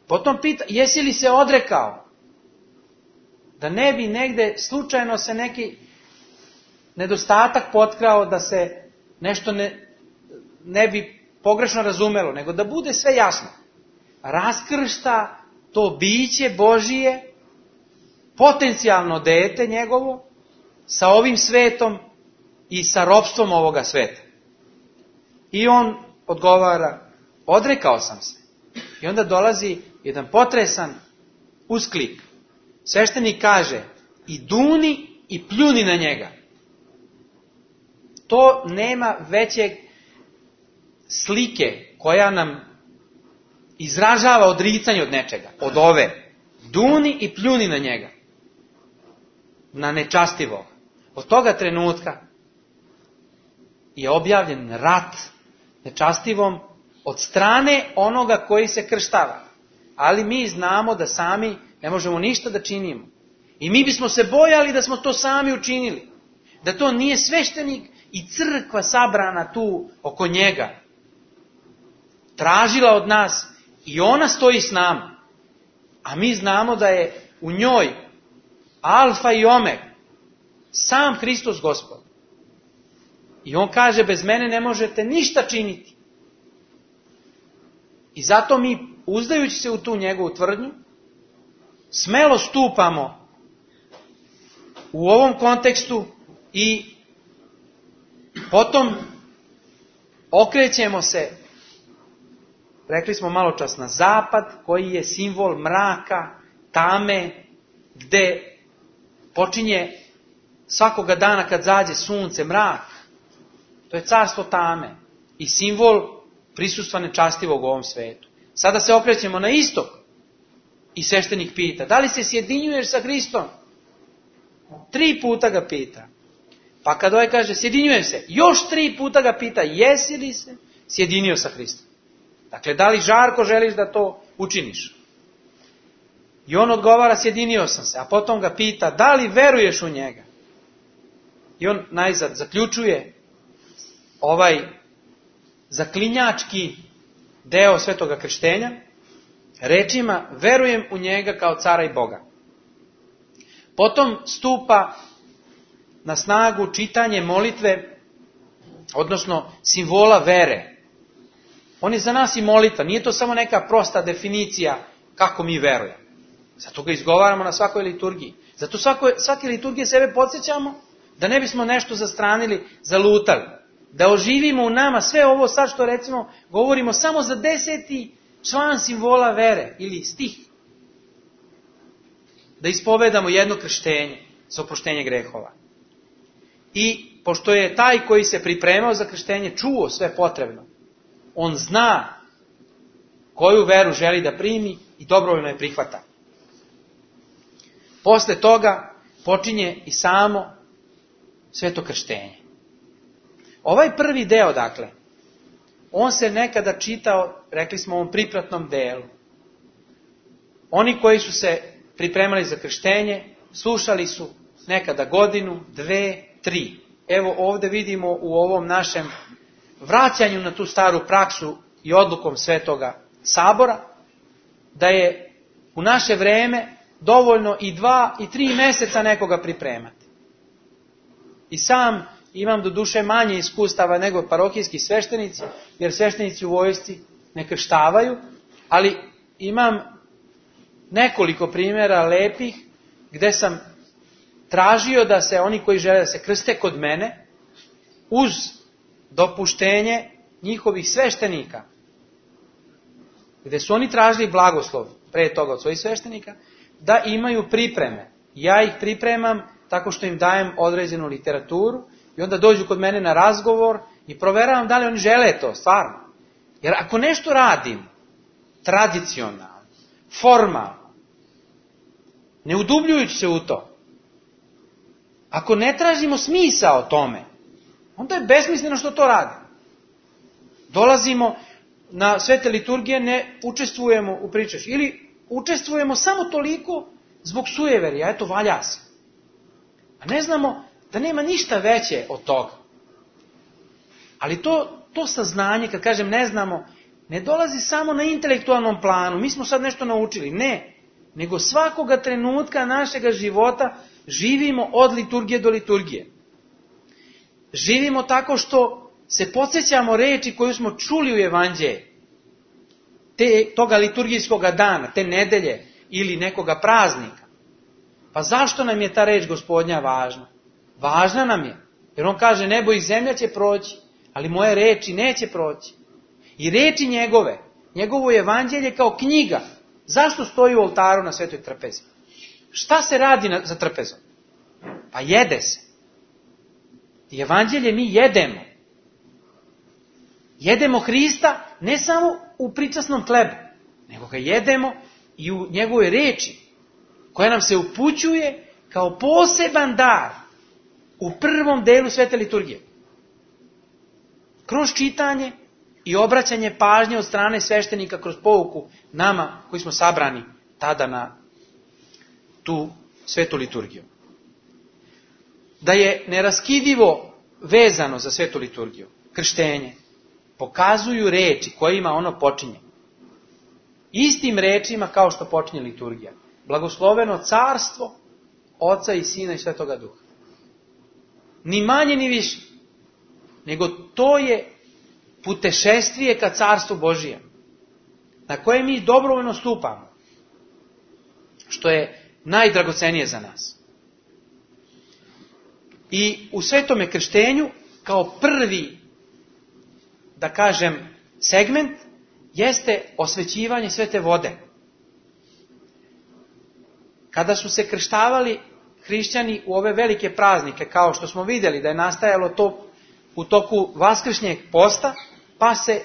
Potom pita, jesi li se odrekao? Da ne bi negde slučajno se neki nedostatak potkrao, da se nešto ne bi pogrešno razumelo, nego da bude sve jasno. Raskršta to biće Božije, potencijalno dete njegovo, sa ovim svetom i sa ropstvom ovoga sveta. I on odgovara, odrekao sam se. I onda dolazi jedan potresan usklik. Sveštenik kaže, i duni i pljuni na njega. To nema većeg slike koja nam izražava odricanje od nečega. Od ove. Duni i pljuni na njega. Na nečastivog. Od toga trenutka je objavljen rat nečastivom od strane onoga koji se krštava. Ali mi znamo da sami ne možemo ništa da činimo. I mi bismo se bojali da smo to sami učinili. Da to nije sveštenik i crkva sabrana tu oko njega tražila od nas i ona stoji s nama. A mi znamo da je u njoj alfa i omega sam Hristos Gospod. I on kaže, bez mene ne možete ništa činiti. I zato mi, uzdajući se u tu njegovu tvrdnju, smelo stupamo u ovom kontekstu i potom okrećemo se, rekli smo malo čas, na zapad, koji je simbol mraka, tame, gde počinje svakoga dana kad zađe sunce, mrak. To je carstvo tame i simbol prisustva nečastivog u ovom svetu. Sada se okrećemo na istok i sveštenik pita, da li se sjedinjuješ sa Hristom? 3 puta ga pita. Pa kad ovaj kaže, sjedinjujem se, još 3 puta ga pita, jesi li se sjedinio sa Hristom? Dakle, da li žarko želiš da to učiniš? I on odgovara, sjedinio sam se, a potom ga pita, da li veruješ u njega? I on najzad zaključuje ovaj zaklinjački deo svetoga krštenja rečima, verujem u njega kao cara i Boga. Potom stupa na snagu čitanje molitve, odnosno simbola vere. On je za nas i molitva, nije to samo neka prosta definicija kako mi verujemo. Zato ga izgovaramo na svakoj liturgiji. Zato svake liturgije sebe podsjećamo da ne bismo nešto zastranili, zalutali. Da oživimo u nama sve ovo sad što recimo govorimo samo za 10. član simbola vere ili stih. Da ispovedamo jedno krštenje za oproštenje grehova. I pošto je taj koji se pripremao za krštenje čuo sve potrebno, on zna koju veru želi da primi i dobrovoljno je prihvata. Posle toga počinje i samo sveto krštenje. Ovaj prvi deo, dakle, on se nekada čitao, rekli smo, u ovom pripratnom delu. Oni koji su se pripremali za krštenje, slušali su nekada godinu, 2, 3. Evo ovdje vidimo u ovom našem vraćanju na tu staru praksu i odlukom Svetoga Sabora, da je u naše vreme dovoljno i 2 i 3 meseca nekoga pripremati. I sam imam do duše manje iskustava nego parohijski sveštenici, jer sveštenici u vojsci ne krštavaju, ali imam nekoliko primjera lepih gde sam tražio da se oni koji žele da se krste kod mene, uz dopuštenje njihovih sveštenika, gde su oni tražili blagoslov pre toga od svojih sveštenika, da imaju pripreme. Ja ih pripremam tako što im dajem određenu literaturu i onda dođu kod mene na razgovor i proveravam da li oni žele to stvarno. Jer ako nešto radim tradicionalno, formalno, ne udubljujući se u to, ako ne tražimo smisao tome, onda je besmisleno što to radi. Dolazimo na svete liturgije, ne učestvujemo u pričaš. Ili učestvujemo samo toliko zbog sujeverja, eto valja se. A ne znamo da nema ništa veće od toga. Ali to saznanje, kad kažem ne znamo, ne dolazi samo na intelektualnom planu, mi smo sad nešto naučili, ne, nego svakoga trenutka našega života živimo od liturgije do liturgije. Živimo tako što se podsjećamo reči koju smo čuli u evanđelju, toga liturgijskog dana, te nedelje ili nekoga praznika. Pa zašto nam je ta reč Gospodnja važna? Važna nam je, jer on kaže nebo i zemlja će proći, ali moje reči neće proći. I reči njegove, njegovo evanđelje kao knjiga, zašto stoji u oltaru na svetoj trpezi? Šta se radi za trpezom? Pa jede se. I evanđelje mi jedemo. Jedemo Hrista ne samo u pričasnom hlebu, nego ga jedemo i u njegovoj reči, koja nam se upućuje kao poseban dar u prvom delu svete liturgije. Kroz čitanje i obraćanje pažnje od strane sveštenika kroz pouku nama koji smo sabrani tada na tu svetu liturgiju. Da je neraskidivo vezano za svetu liturgiju, krštenje, pokazuju reči kojima ono počinje. Istim rečima kao što počinje liturgija. Blagosloveno carstvo Oca i Sina i Svetoga Duha. Ni manje ni više. Nego to je putešestvije ka carstvu Božijem. Na koje mi dobrovoljno stupamo. Što je najdragocenije za nas. I u svetome krštenju kao prvi, da kažem, segment jeste osvećivanje svete vode. Kada su se krštavali hrišćani u ove velike praznike, kao što smo vidjeli da je nastajalo to u toku vaskršnjeg posta, pa se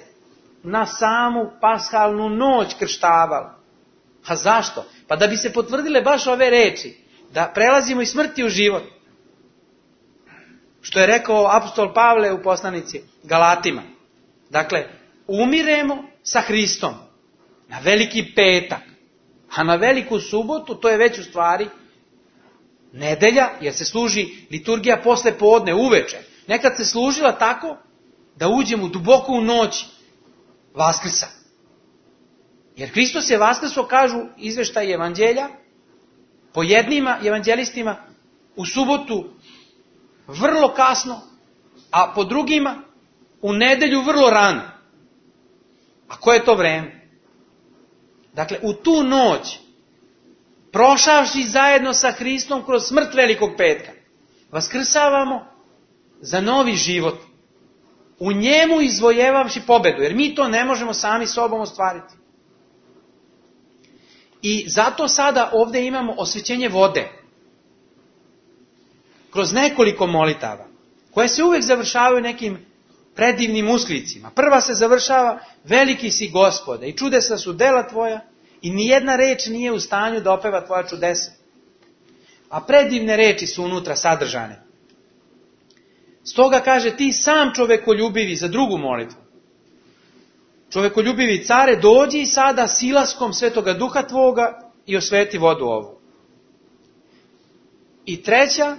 na samu pashalnu noć krštavalo. A zašto? Pa da bi se potvrdile baš ove reči, da prelazimo iz smrti u život. Što je rekao apostol Pavle u poslanici Galatima. Dakle, umiremo sa Hristom na veliki petak, a na veliku subotu, to je već u stvari nedelja, jer se služi liturgija posle podne, uveče. Nekad se služila tako da uđemo duboko u noć Vaskrsa. Jer Hristos je Vaskrso, kažu izveštaji evanđelja, po jednima evanđelistima u subotu vrlo kasno, a po drugima u nedelju vrlo rano. A koje je to vreme? Dakle, u tu noć, prošavši zajedno sa Hristom kroz smrt velikog petka, vaskrsavamo za novi život. U njemu izvojevavši pobedu, jer mi to ne možemo sami sobom ostvariti. I zato sada ovdje imamo osvećenje vode. Kroz nekoliko molitava, koje se uvijek završavaju nekim predivnim usklicima. Prva se završava veliki si Gospode i čudesa su dela tvoja i nijedna reč nije u stanju da opeva tvoja čudesa. A predivne reči su unutra sadržane. Stoga kaže ti sam čovekoljubivi za drugu molitvu. Čovekoljubivi care, dođi sada silaskom Svetoga Duha tvoga i osveti vodu ovu. I treća,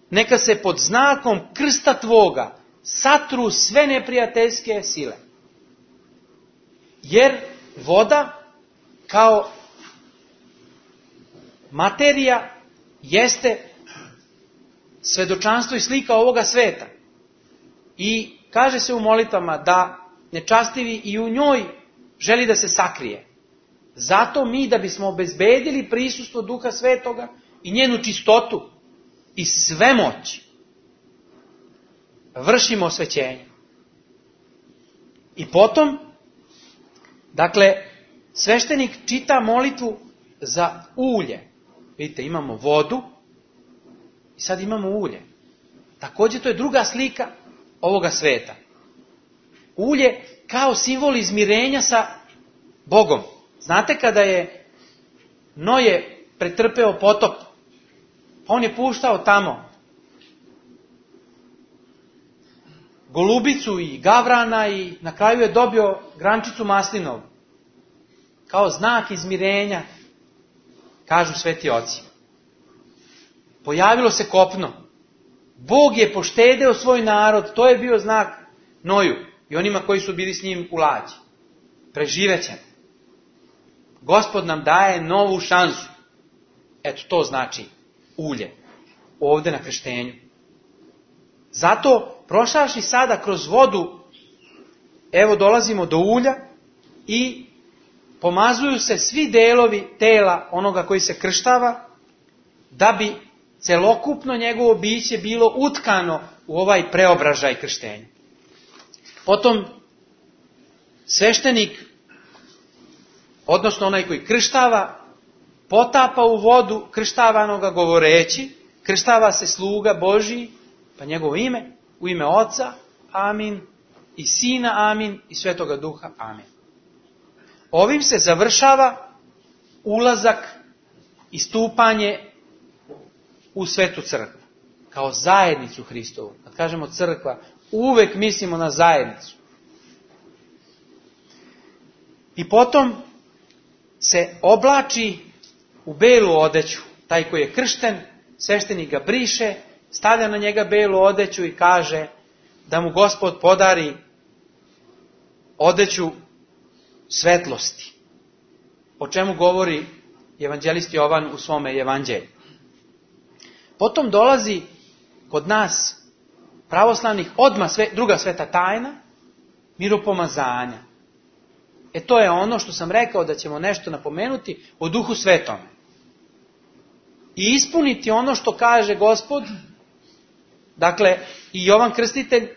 neka se pod znakom krsta tvoga satru sve neprijateljske sile. Jer voda kao materija jeste svedočanstvo i slika ovoga sveta. I kaže se u molitvama da nečastivi i u njoj želi da se sakrije. Zato mi, da bismo obezbedili prisustvo Duha Svetoga i njenu čistotu i svemoć, vršimo osvećenje. I potom, dakle, sveštenik čita molitvu za ulje. Vidite, imamo vodu i sad imamo ulje. Također to je druga slika ovoga sveta. Ulje kao simbol izmirenja sa Bogom. Znate kada je Noje pretrpeo potop. Pa on je puštao tamo golubicu i gavrana i na kraju je dobio grančicu maslinovu. Kao znak izmirenja, kažu sveti oci. Pojavilo se kopno. Bog je poštedeo svoj narod, to je bio znak Noju i onima koji su bili s njim u lađi. Preživećemo. Gospod nam daje novu šansu. Eto, to znači ulje. Ovdje na krštenju. Zato, prošavši sada kroz vodu, evo dolazimo do ulja i pomazuju se svi delovi tela onoga koji se krštava, da bi celokupno njegovo biće bilo utkano u ovaj preobražaj krštenja. Potom sveštenik, odnosno onaj koji krštava, potapa u vodu krštavanoga govoreći, krštava se sluga Božji, pa njegovo ime, u ime Oca, amin, i Sina, amin, i Svetoga Duha, amin. Ovim se završava ulazak i stupanje u svetu crkvu, kao zajednicu Hristovu. Kad kažemo crkva, uvek mislimo na zajednicu. I potom se oblači u belu odeću. Taj koji je kršten, sveštenik ga briše, stavlja na njega belu odeću i kaže da mu Gospod podari odeću svetlosti. O čemu govori evanđelist Jovan u svome evanđelju. Potom dolazi kod nas pravoslavnih odmah druga sveta tajna, miropomazanja. To je ono što sam rekao da ćemo nešto napomenuti o Duhu Svetome. I ispuniti ono što kaže Gospod, dakle i Jovan Krstitelj,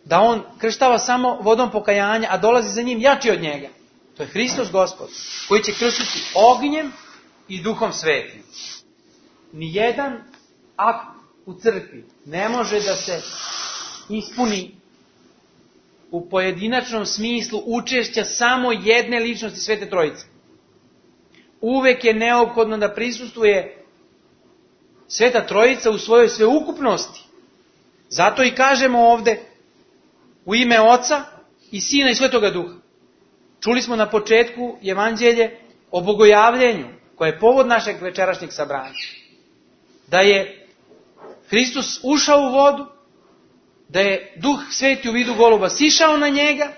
da on krštava samo vodom pokajanja, a dolazi za njim jači od njega. To je Hristos Gospod, koji će krstiti ognjem i Duhom Svetim. Nijedan akt u crkvi ne može da se ispuni u pojedinačnom smislu učešća samo jedne ličnosti Svete Trojice. Uvek je neophodno da prisustvuje Sveta Trojica u svojoj sveukupnosti. Zato i kažemo ovde u ime Oca i Sina i Svetoga Duha. Čuli smo na početku evanđelje o bogojavljenju, koje je povod našeg večerašnjeg sabranja. Da je Hristos ušao u vodu, da je Duh Sveti u vidu goluba sišao na njega,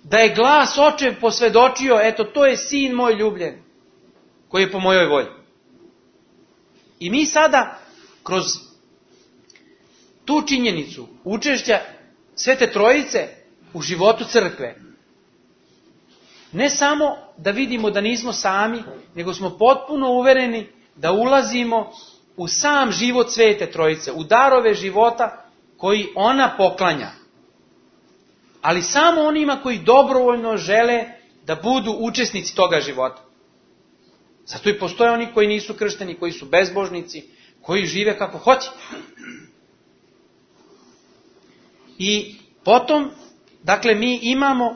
da je glas Očev posvedočio, eto to je Sin moj ljubljen, koji je po mojoj volji. I mi sada, kroz tu činjenicu učešća Svete Trojice u životu crkve, ne samo da vidimo da nismo sami, nego smo potpuno uvereni da ulazimo u sam život Svete Trojice, u darove života koji ona poklanja. Ali samo onima koji dobrovoljno žele da budu učesnici toga života. Zato i postoje oni koji nisu kršteni, koji su bezbožnici, koji žive kako hoće. I potom, dakle, mi imamo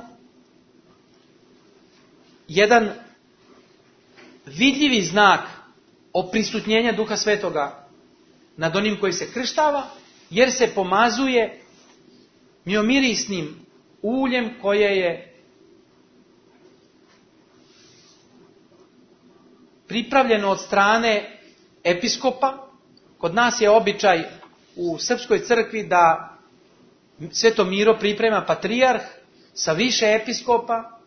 jedan vidljivi znak oprisutnjenja Duha Svetoga nad onim koji se krštava, jer se pomazuje miomirisnim uljem koje je pripravljeno od strane episkopa. Kod nas je običaj u srpskoj crkvi da Sveto Miro priprema patrijarh sa više episkopa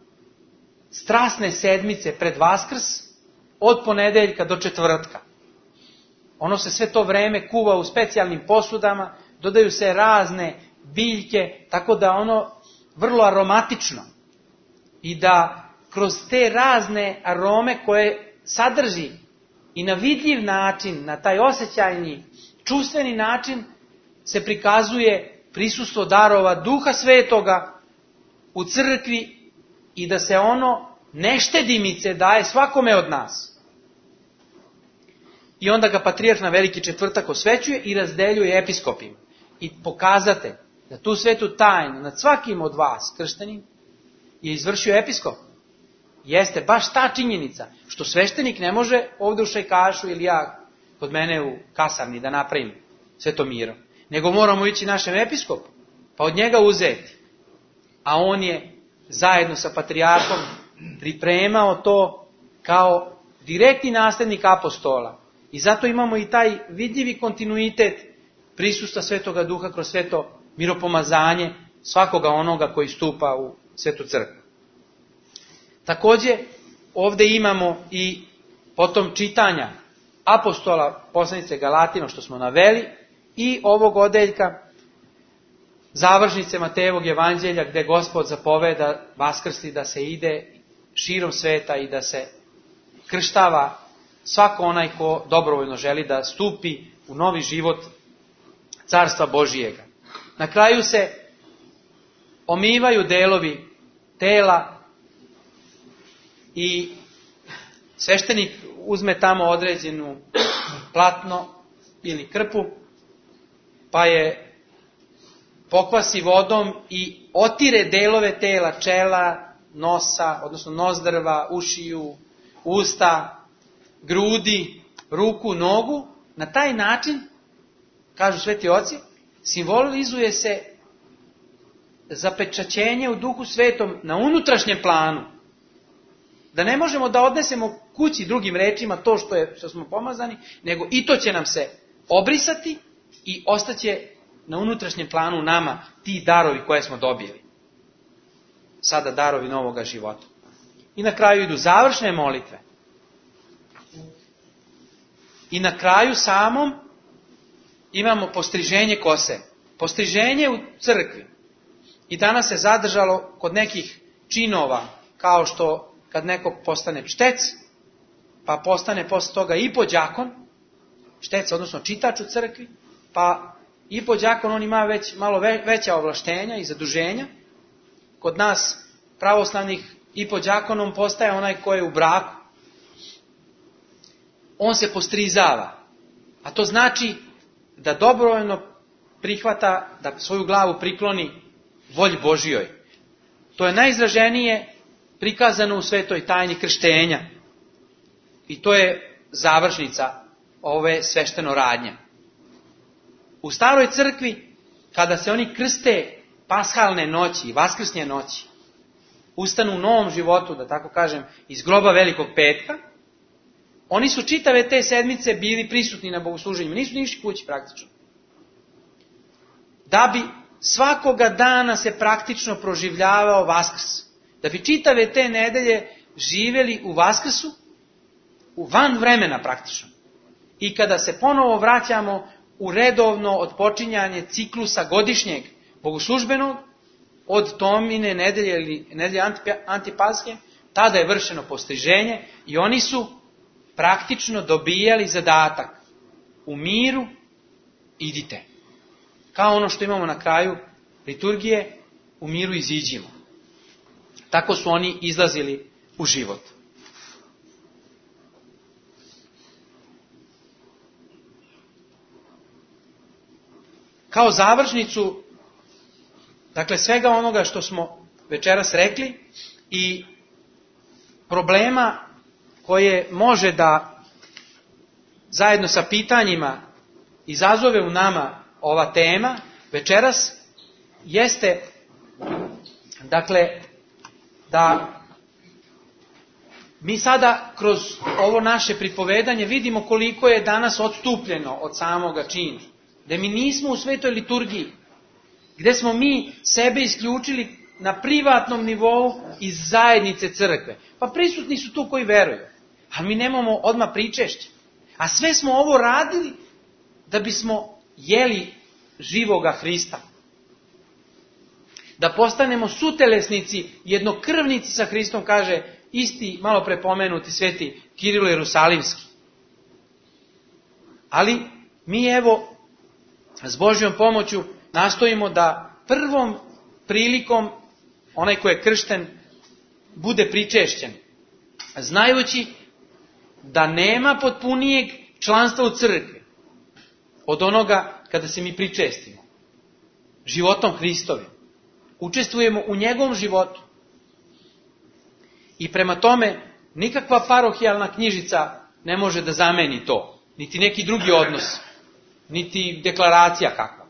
strasne sedmice pred Vaskrs od ponedeljka do četvrtka. Ono se sve to vreme kuva u specijalnim posudama, dodaju se razne biljke, tako da ono vrlo aromatično. I da kroz te razne arome koje sadrži i na vidljiv način, na taj osjećajni, čustveni način, se prikazuje prisustvo darova Duha Svetoga u crkvi i da se ono neštedimice daje svakome od nas. I onda ga patrijarh na Veliki četvrtak osvećuje i razdeljuje episkopima. I pokazate da tu svetu tajnu nad svakim od vas krštenim je izvršio episkop. jeste baš ta činjenica što sveštenik ne može ovdje u Šajkašu ili ja kod mene u kasarni da napravim Svetomiro, nego moramo ići našem episkopu, pa od njega uzeti. A on je zajedno sa patrijarhom pripremao to kao direktni nasljednik apostola. I zato imamo i taj vidljivi kontinuitet prisustva Svetoga Duha kroz sveto miropomazanje svakoga onoga koji stupa u Svetu crkvu. Također ovdje imamo i potom čitanja apostola poslanice Galatima što smo naveli i ovog odeljka završnice Matejevog evanđelja gdje Gospod zapoveda vaskrsti da se ide širom sveta i da se krštava svako onaj ko dobrovoljno želi da stupi u novi život Carstva Božijega. Na kraju se omivaju delovi tela i sveštenik uzme tamo određenu platno ili krpu, pa je pokvasi vodom i otire delove tela, čela, nosa, odnosno nozdrva, ušiju, usta, grudi, ruku, nogu. Na taj način, kažu sveti oci, simbolizuje se zapečaćenje u Duhu Svetom na unutrašnjem planu. Da ne možemo da odnesemo kući drugim rečima to što smo pomazani, nego i to će nam se obrisati i ostaće na unutrašnjem planu nama ti darovi koje smo dobili. Sada darovi novoga života. I na kraju idu završne molitve. I na kraju samom imamo postriženje kose. Postriženje u crkvi. I danas se zadržalo kod nekih činova, kao što kad neko postane štec, pa postane posle toga i podjakon, štec, odnosno čitač u crkvi, pa i podjakon on ima već malo veća ovlaštenja i zaduženja. Kod nas pravoslavnih i podjakonom postaje onaj ko je u braku. On se postrizava, a to znači da dobrovoljno prihvata, da svoju glavu prikloni volji Božijoj. To je najizraženije prikazano u svetoj tajni krštenja. I to je završnica ove svešteno radnje. U staroj crkvi, kada se oni krste pashalne noći i vaskrsnje noći, ustanu u novom životu, da tako kažem, iz groba Velikog petka, oni su čitave te sedmice bili prisutni na bogosluženjima, nisu ni išli kući praktično. Da bi svakoga dana se praktično proživljavao Vaskrs. Da bi čitave te nedelje živjeli u Vaskrsu, u van vremena praktično. I kada se ponovo vraćamo u redovno odpočinjanje ciklusa godišnjeg bogoslužbenog, od Tomine nedelje ili nedelje Antipalske, tada je vršeno postriženje i oni su praktično dobijali zadatak. U miru idite. Kao ono što imamo na kraju liturgije, u miru iziđimo. Tako su oni izlazili u život. Kao završnicu, dakle svega onoga što smo večeras rekli i problema koje može da zajedno sa pitanjima izazove u nama ova tema večeras, jeste dakle da mi sada kroz ovo naše pripovedanje vidimo koliko je danas odstupljeno od samoga čina. Da mi nismo u svetoj liturgiji, gdje smo mi sebe isključili na privatnom nivou iz zajednice crkve. Pa prisutni su tu koji veruju, ali mi nemamo odmah pričešće. A sve smo ovo radili da bismo jeli živoga Hrista. Da postanemo sutelesnici, jednokrvnici sa Hristom, kaže isti malo prepomenuti sveti Kirilo Jerusalimski. Ali mi evo s Božjom pomoću nastojimo da prvom prilikom onaj ko je kršten bude pričešćen. Znajući da nema potpunijeg članstva u crkvi od onoga kada se mi pričestimo. Životom Hristovim. Učestvujemo u njegovom životu. I prema tome, nikakva parohijalna knjižica ne može da zameni to. Niti neki drugi odnos. Niti deklaracija kakva.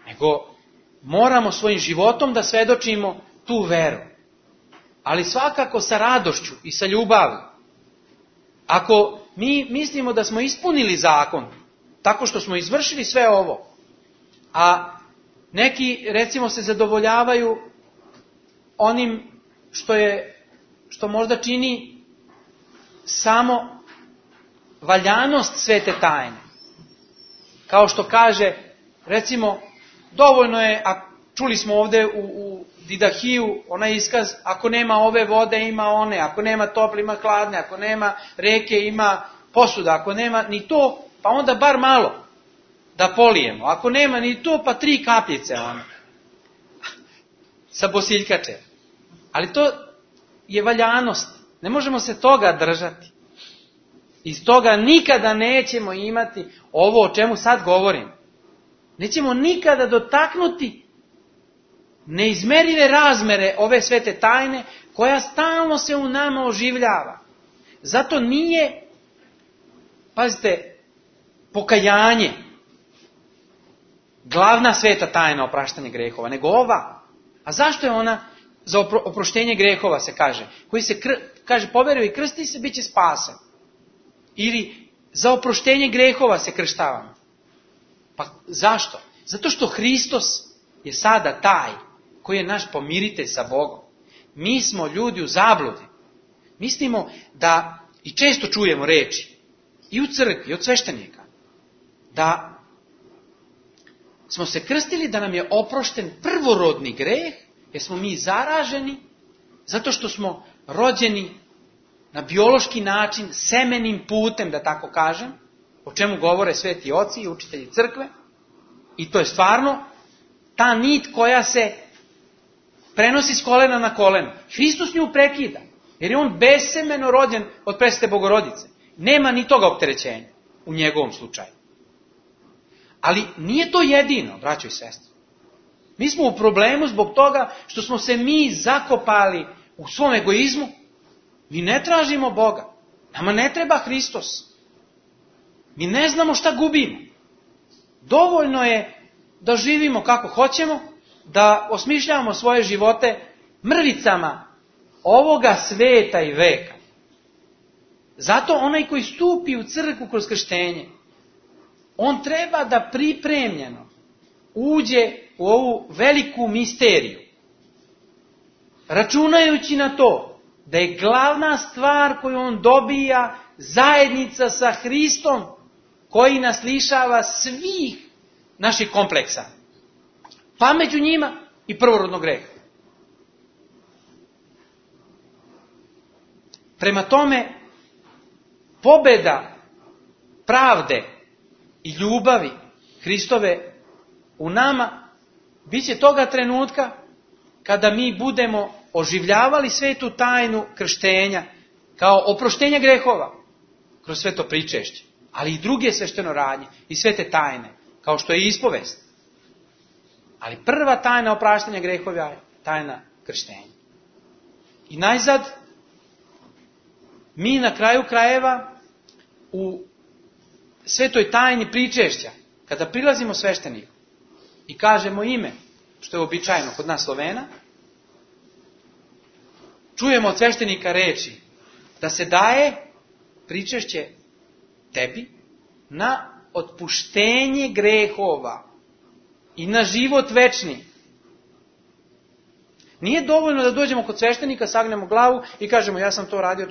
Nego moramo svojim životom da svedočimo tu veru. Ali svakako sa radošću i sa ljubavi. Ako mi mislimo da smo ispunili zakon, tako što smo izvršili sve ovo, a neki, recimo, se zadovoljavaju onim što možda čini samo valjanost svete tajne. Kao što kaže, recimo, dovoljno je, a čuli smo ovdje u Didahiju onaj iskaz, ako nema ove vode ima one, ako nema tople ima hladne, ako nema reke ima posuda, ako nema ni to, pa onda bar malo da polijemo. Ako nema ni to, pa 3 kapljice one. Sa bosiljkače. Ali to je valjanost. Ne možemo se toga držati. Iz toga nikada nećemo imati ovo o čemu sad govorim. Nećemo nikada dotaknuti neizmerive razmere ove svete tajne koja stalno se u nama oživljava. Zato nije, pazite, pokajanje glavna sveta tajna opraštanja grehova, nego ova. A zašto je ona za oproštenje grehova se kaže? Koji se kaže poveruje i krsti se, bit će spasen. Ili za oproštenje grehova se krštavamo. Pa zašto? Zato što Hristos je sada taj koji je naš pomiritelj sa Bogom. Mi smo ljudi u zabludi. Mislimo da, i često čujemo reči, i u crkvi, i od sveštenika, da smo se krstili, da nam je oprošten prvorodni greh, jer smo mi zaraženi, zato što smo rođeni na biološki način, semenim putem, da tako kažem, o čemu govore sveti oci i učitelji crkve. I to je stvarno ta nit koja se prenosi s kolena na koleno. Hristos nju prekida, jer je on besemeno rođen od presvete Bogorodice. Nema ni toga opterećenja u njegovom slučaju. Ali nije to jedino, braćo i sestre. Mi smo u problemu zbog toga što smo se mi zakopali u svom egoizmu. Mi ne tražimo Boga. Nama ne treba Hristos. Mi ne znamo šta gubimo. Dovoljno je da živimo kako hoćemo, da osmišljavamo svoje živote mrvicama ovoga sveta i veka. Zato onaj koji stupi u crkvu kroz krštenje, on treba da pripremljeno uđe u ovu veliku misteriju. Računajući na to da je glavna stvar koju on dobija zajednica sa Hristom, koji nas lišava svih naših kompleksa. Pa među njima i prvorodnog greha. Prema tome, pobeda pravde i ljubavi Hristove u nama bit će toga trenutka kada mi budemo oživljavali svetu tajnu krštenja kao oproštenje grehova kroz sveto pričešće, ali i druge sveštenoradnje i svete tajne, kao što je ispovest. Ali prva tajna opraštanja grehova je tajna krštenja. I najzad, mi na kraju krajeva u svetoj tajni pričešća, kada prilazimo svešteniku i kažemo ime, što je uobičajeno kod nas Slovena, čujemo od sveštenika reči da se daje pričešće tebi na otpuštenje grehova i na život večni. Nije dovoljno da dođemo kod sveštenika, sagnemo glavu i kažemo ja sam to radio,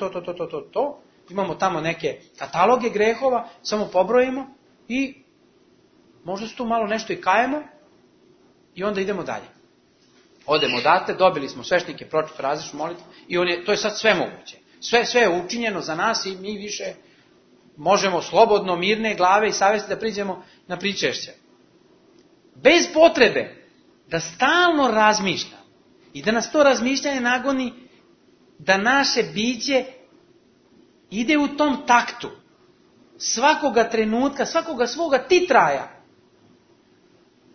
to. Imamo tamo neke kataloge grehova, samo pobrojimo i možda se tu malo nešto i kajemo i onda idemo dalje. Odemo odatle, dobili smo sveštenike, pročito različnu molitvu i to je sad sve moguće. Sve je učinjeno za nas i mi više možemo slobodno, mirne glave i savjesti da priđemo na pričešće. Bez potrebe da stalno razmišljamo i da nas to razmišljanje nagoni da naše biće ide u tom taktu svakoga trenutka, svakoga svoga titraja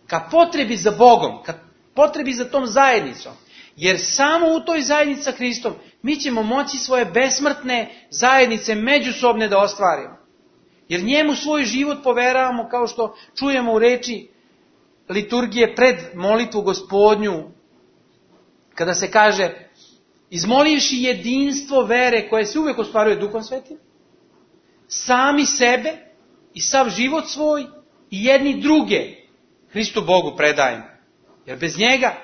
ka potrebi za Bogom, ka potrebi za tom zajednicom. Jer samo u toj zajednici sa Hristom mi ćemo moći svoje besmrtne zajednice međusobne da ostvarimo. Jer njemu svoj život poveravamo, kao što čujemo u reči liturgije pred molitvu Gospodnju, kada se kaže, izmolivši jedinstvo vere koje se uvijek ostvaruje Duhom Svetim, sami sebe i sav život svoj i jedni druge Hristu Bogu predajemo. Jer bez njega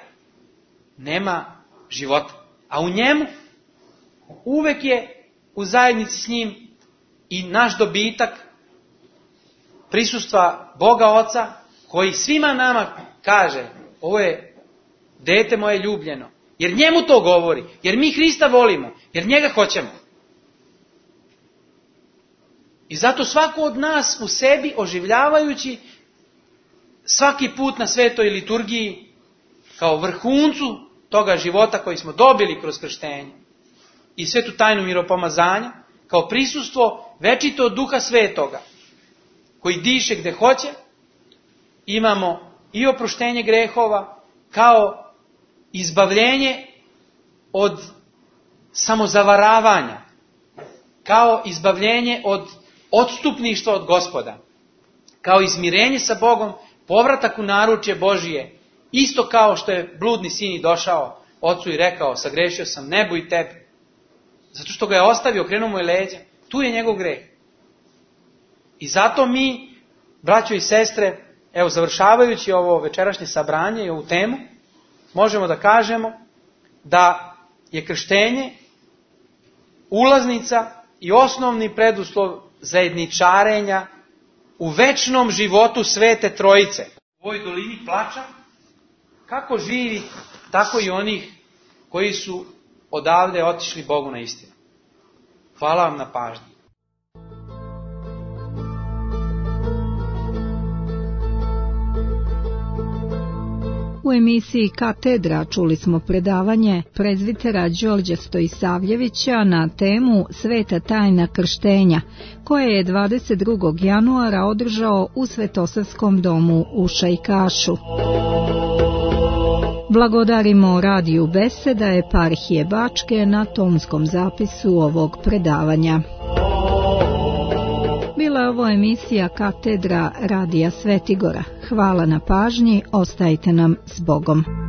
nema života. A u njemu uvijek je u zajednici s njim i naš dobitak prisustva Boga Oca, koji svima nama kaže, ovo je dete moje ljubljeno. Jer njemu to govori, jer mi Hrista volimo, jer njega hoćemo. I zato svako od nas u sebi, oživljavajući svaki put na svetoj liturgiji, kao vrhuncu toga života koji smo dobili kroz krštenje i svetu tajnu miropomazanja, kao prisustvo večito Duha Svetoga, koji diše gde hoće, imamo i oproštenje grehova, kao izbavljenje od samozavaravanja, kao izbavljenje od odstupništva od Gospoda, kao izmirenje sa Bogom, povratak u naručje Božije, isto kao što je bludni sin i došao ocu i rekao, sagrešio sam nebu i tebi, zato što ga je ostavio, okrenuo mu je leđa, tu je njegov greh. I zato mi, braćo i sestre, evo završavajući ovo večerašnje sabranje i ovu temu, možemo da kažemo da je krštenje ulaznica i osnovni preduslov zajedničarenja u večnom životu Svete Trojice. U ovoj dolini plača, kako živi, tako i onih koji su odavde otišli Bogu na istinu. Hvala vam na pažnji. U emisiji Katedra čuli smo predavanje prezvitera Đorđa Stojisavljevića na temu Sveta tajna krštenja, koje je 22. januara održao u Svetosavskom domu u Šajkašu. Blagodarimo radiju Beseda eparhije Bačke na tonskom zapisu ovog predavanja. Bila je ovo emisija Katedra radija Svetigora. Hvala na pažnji, ostajte nam s Bogom.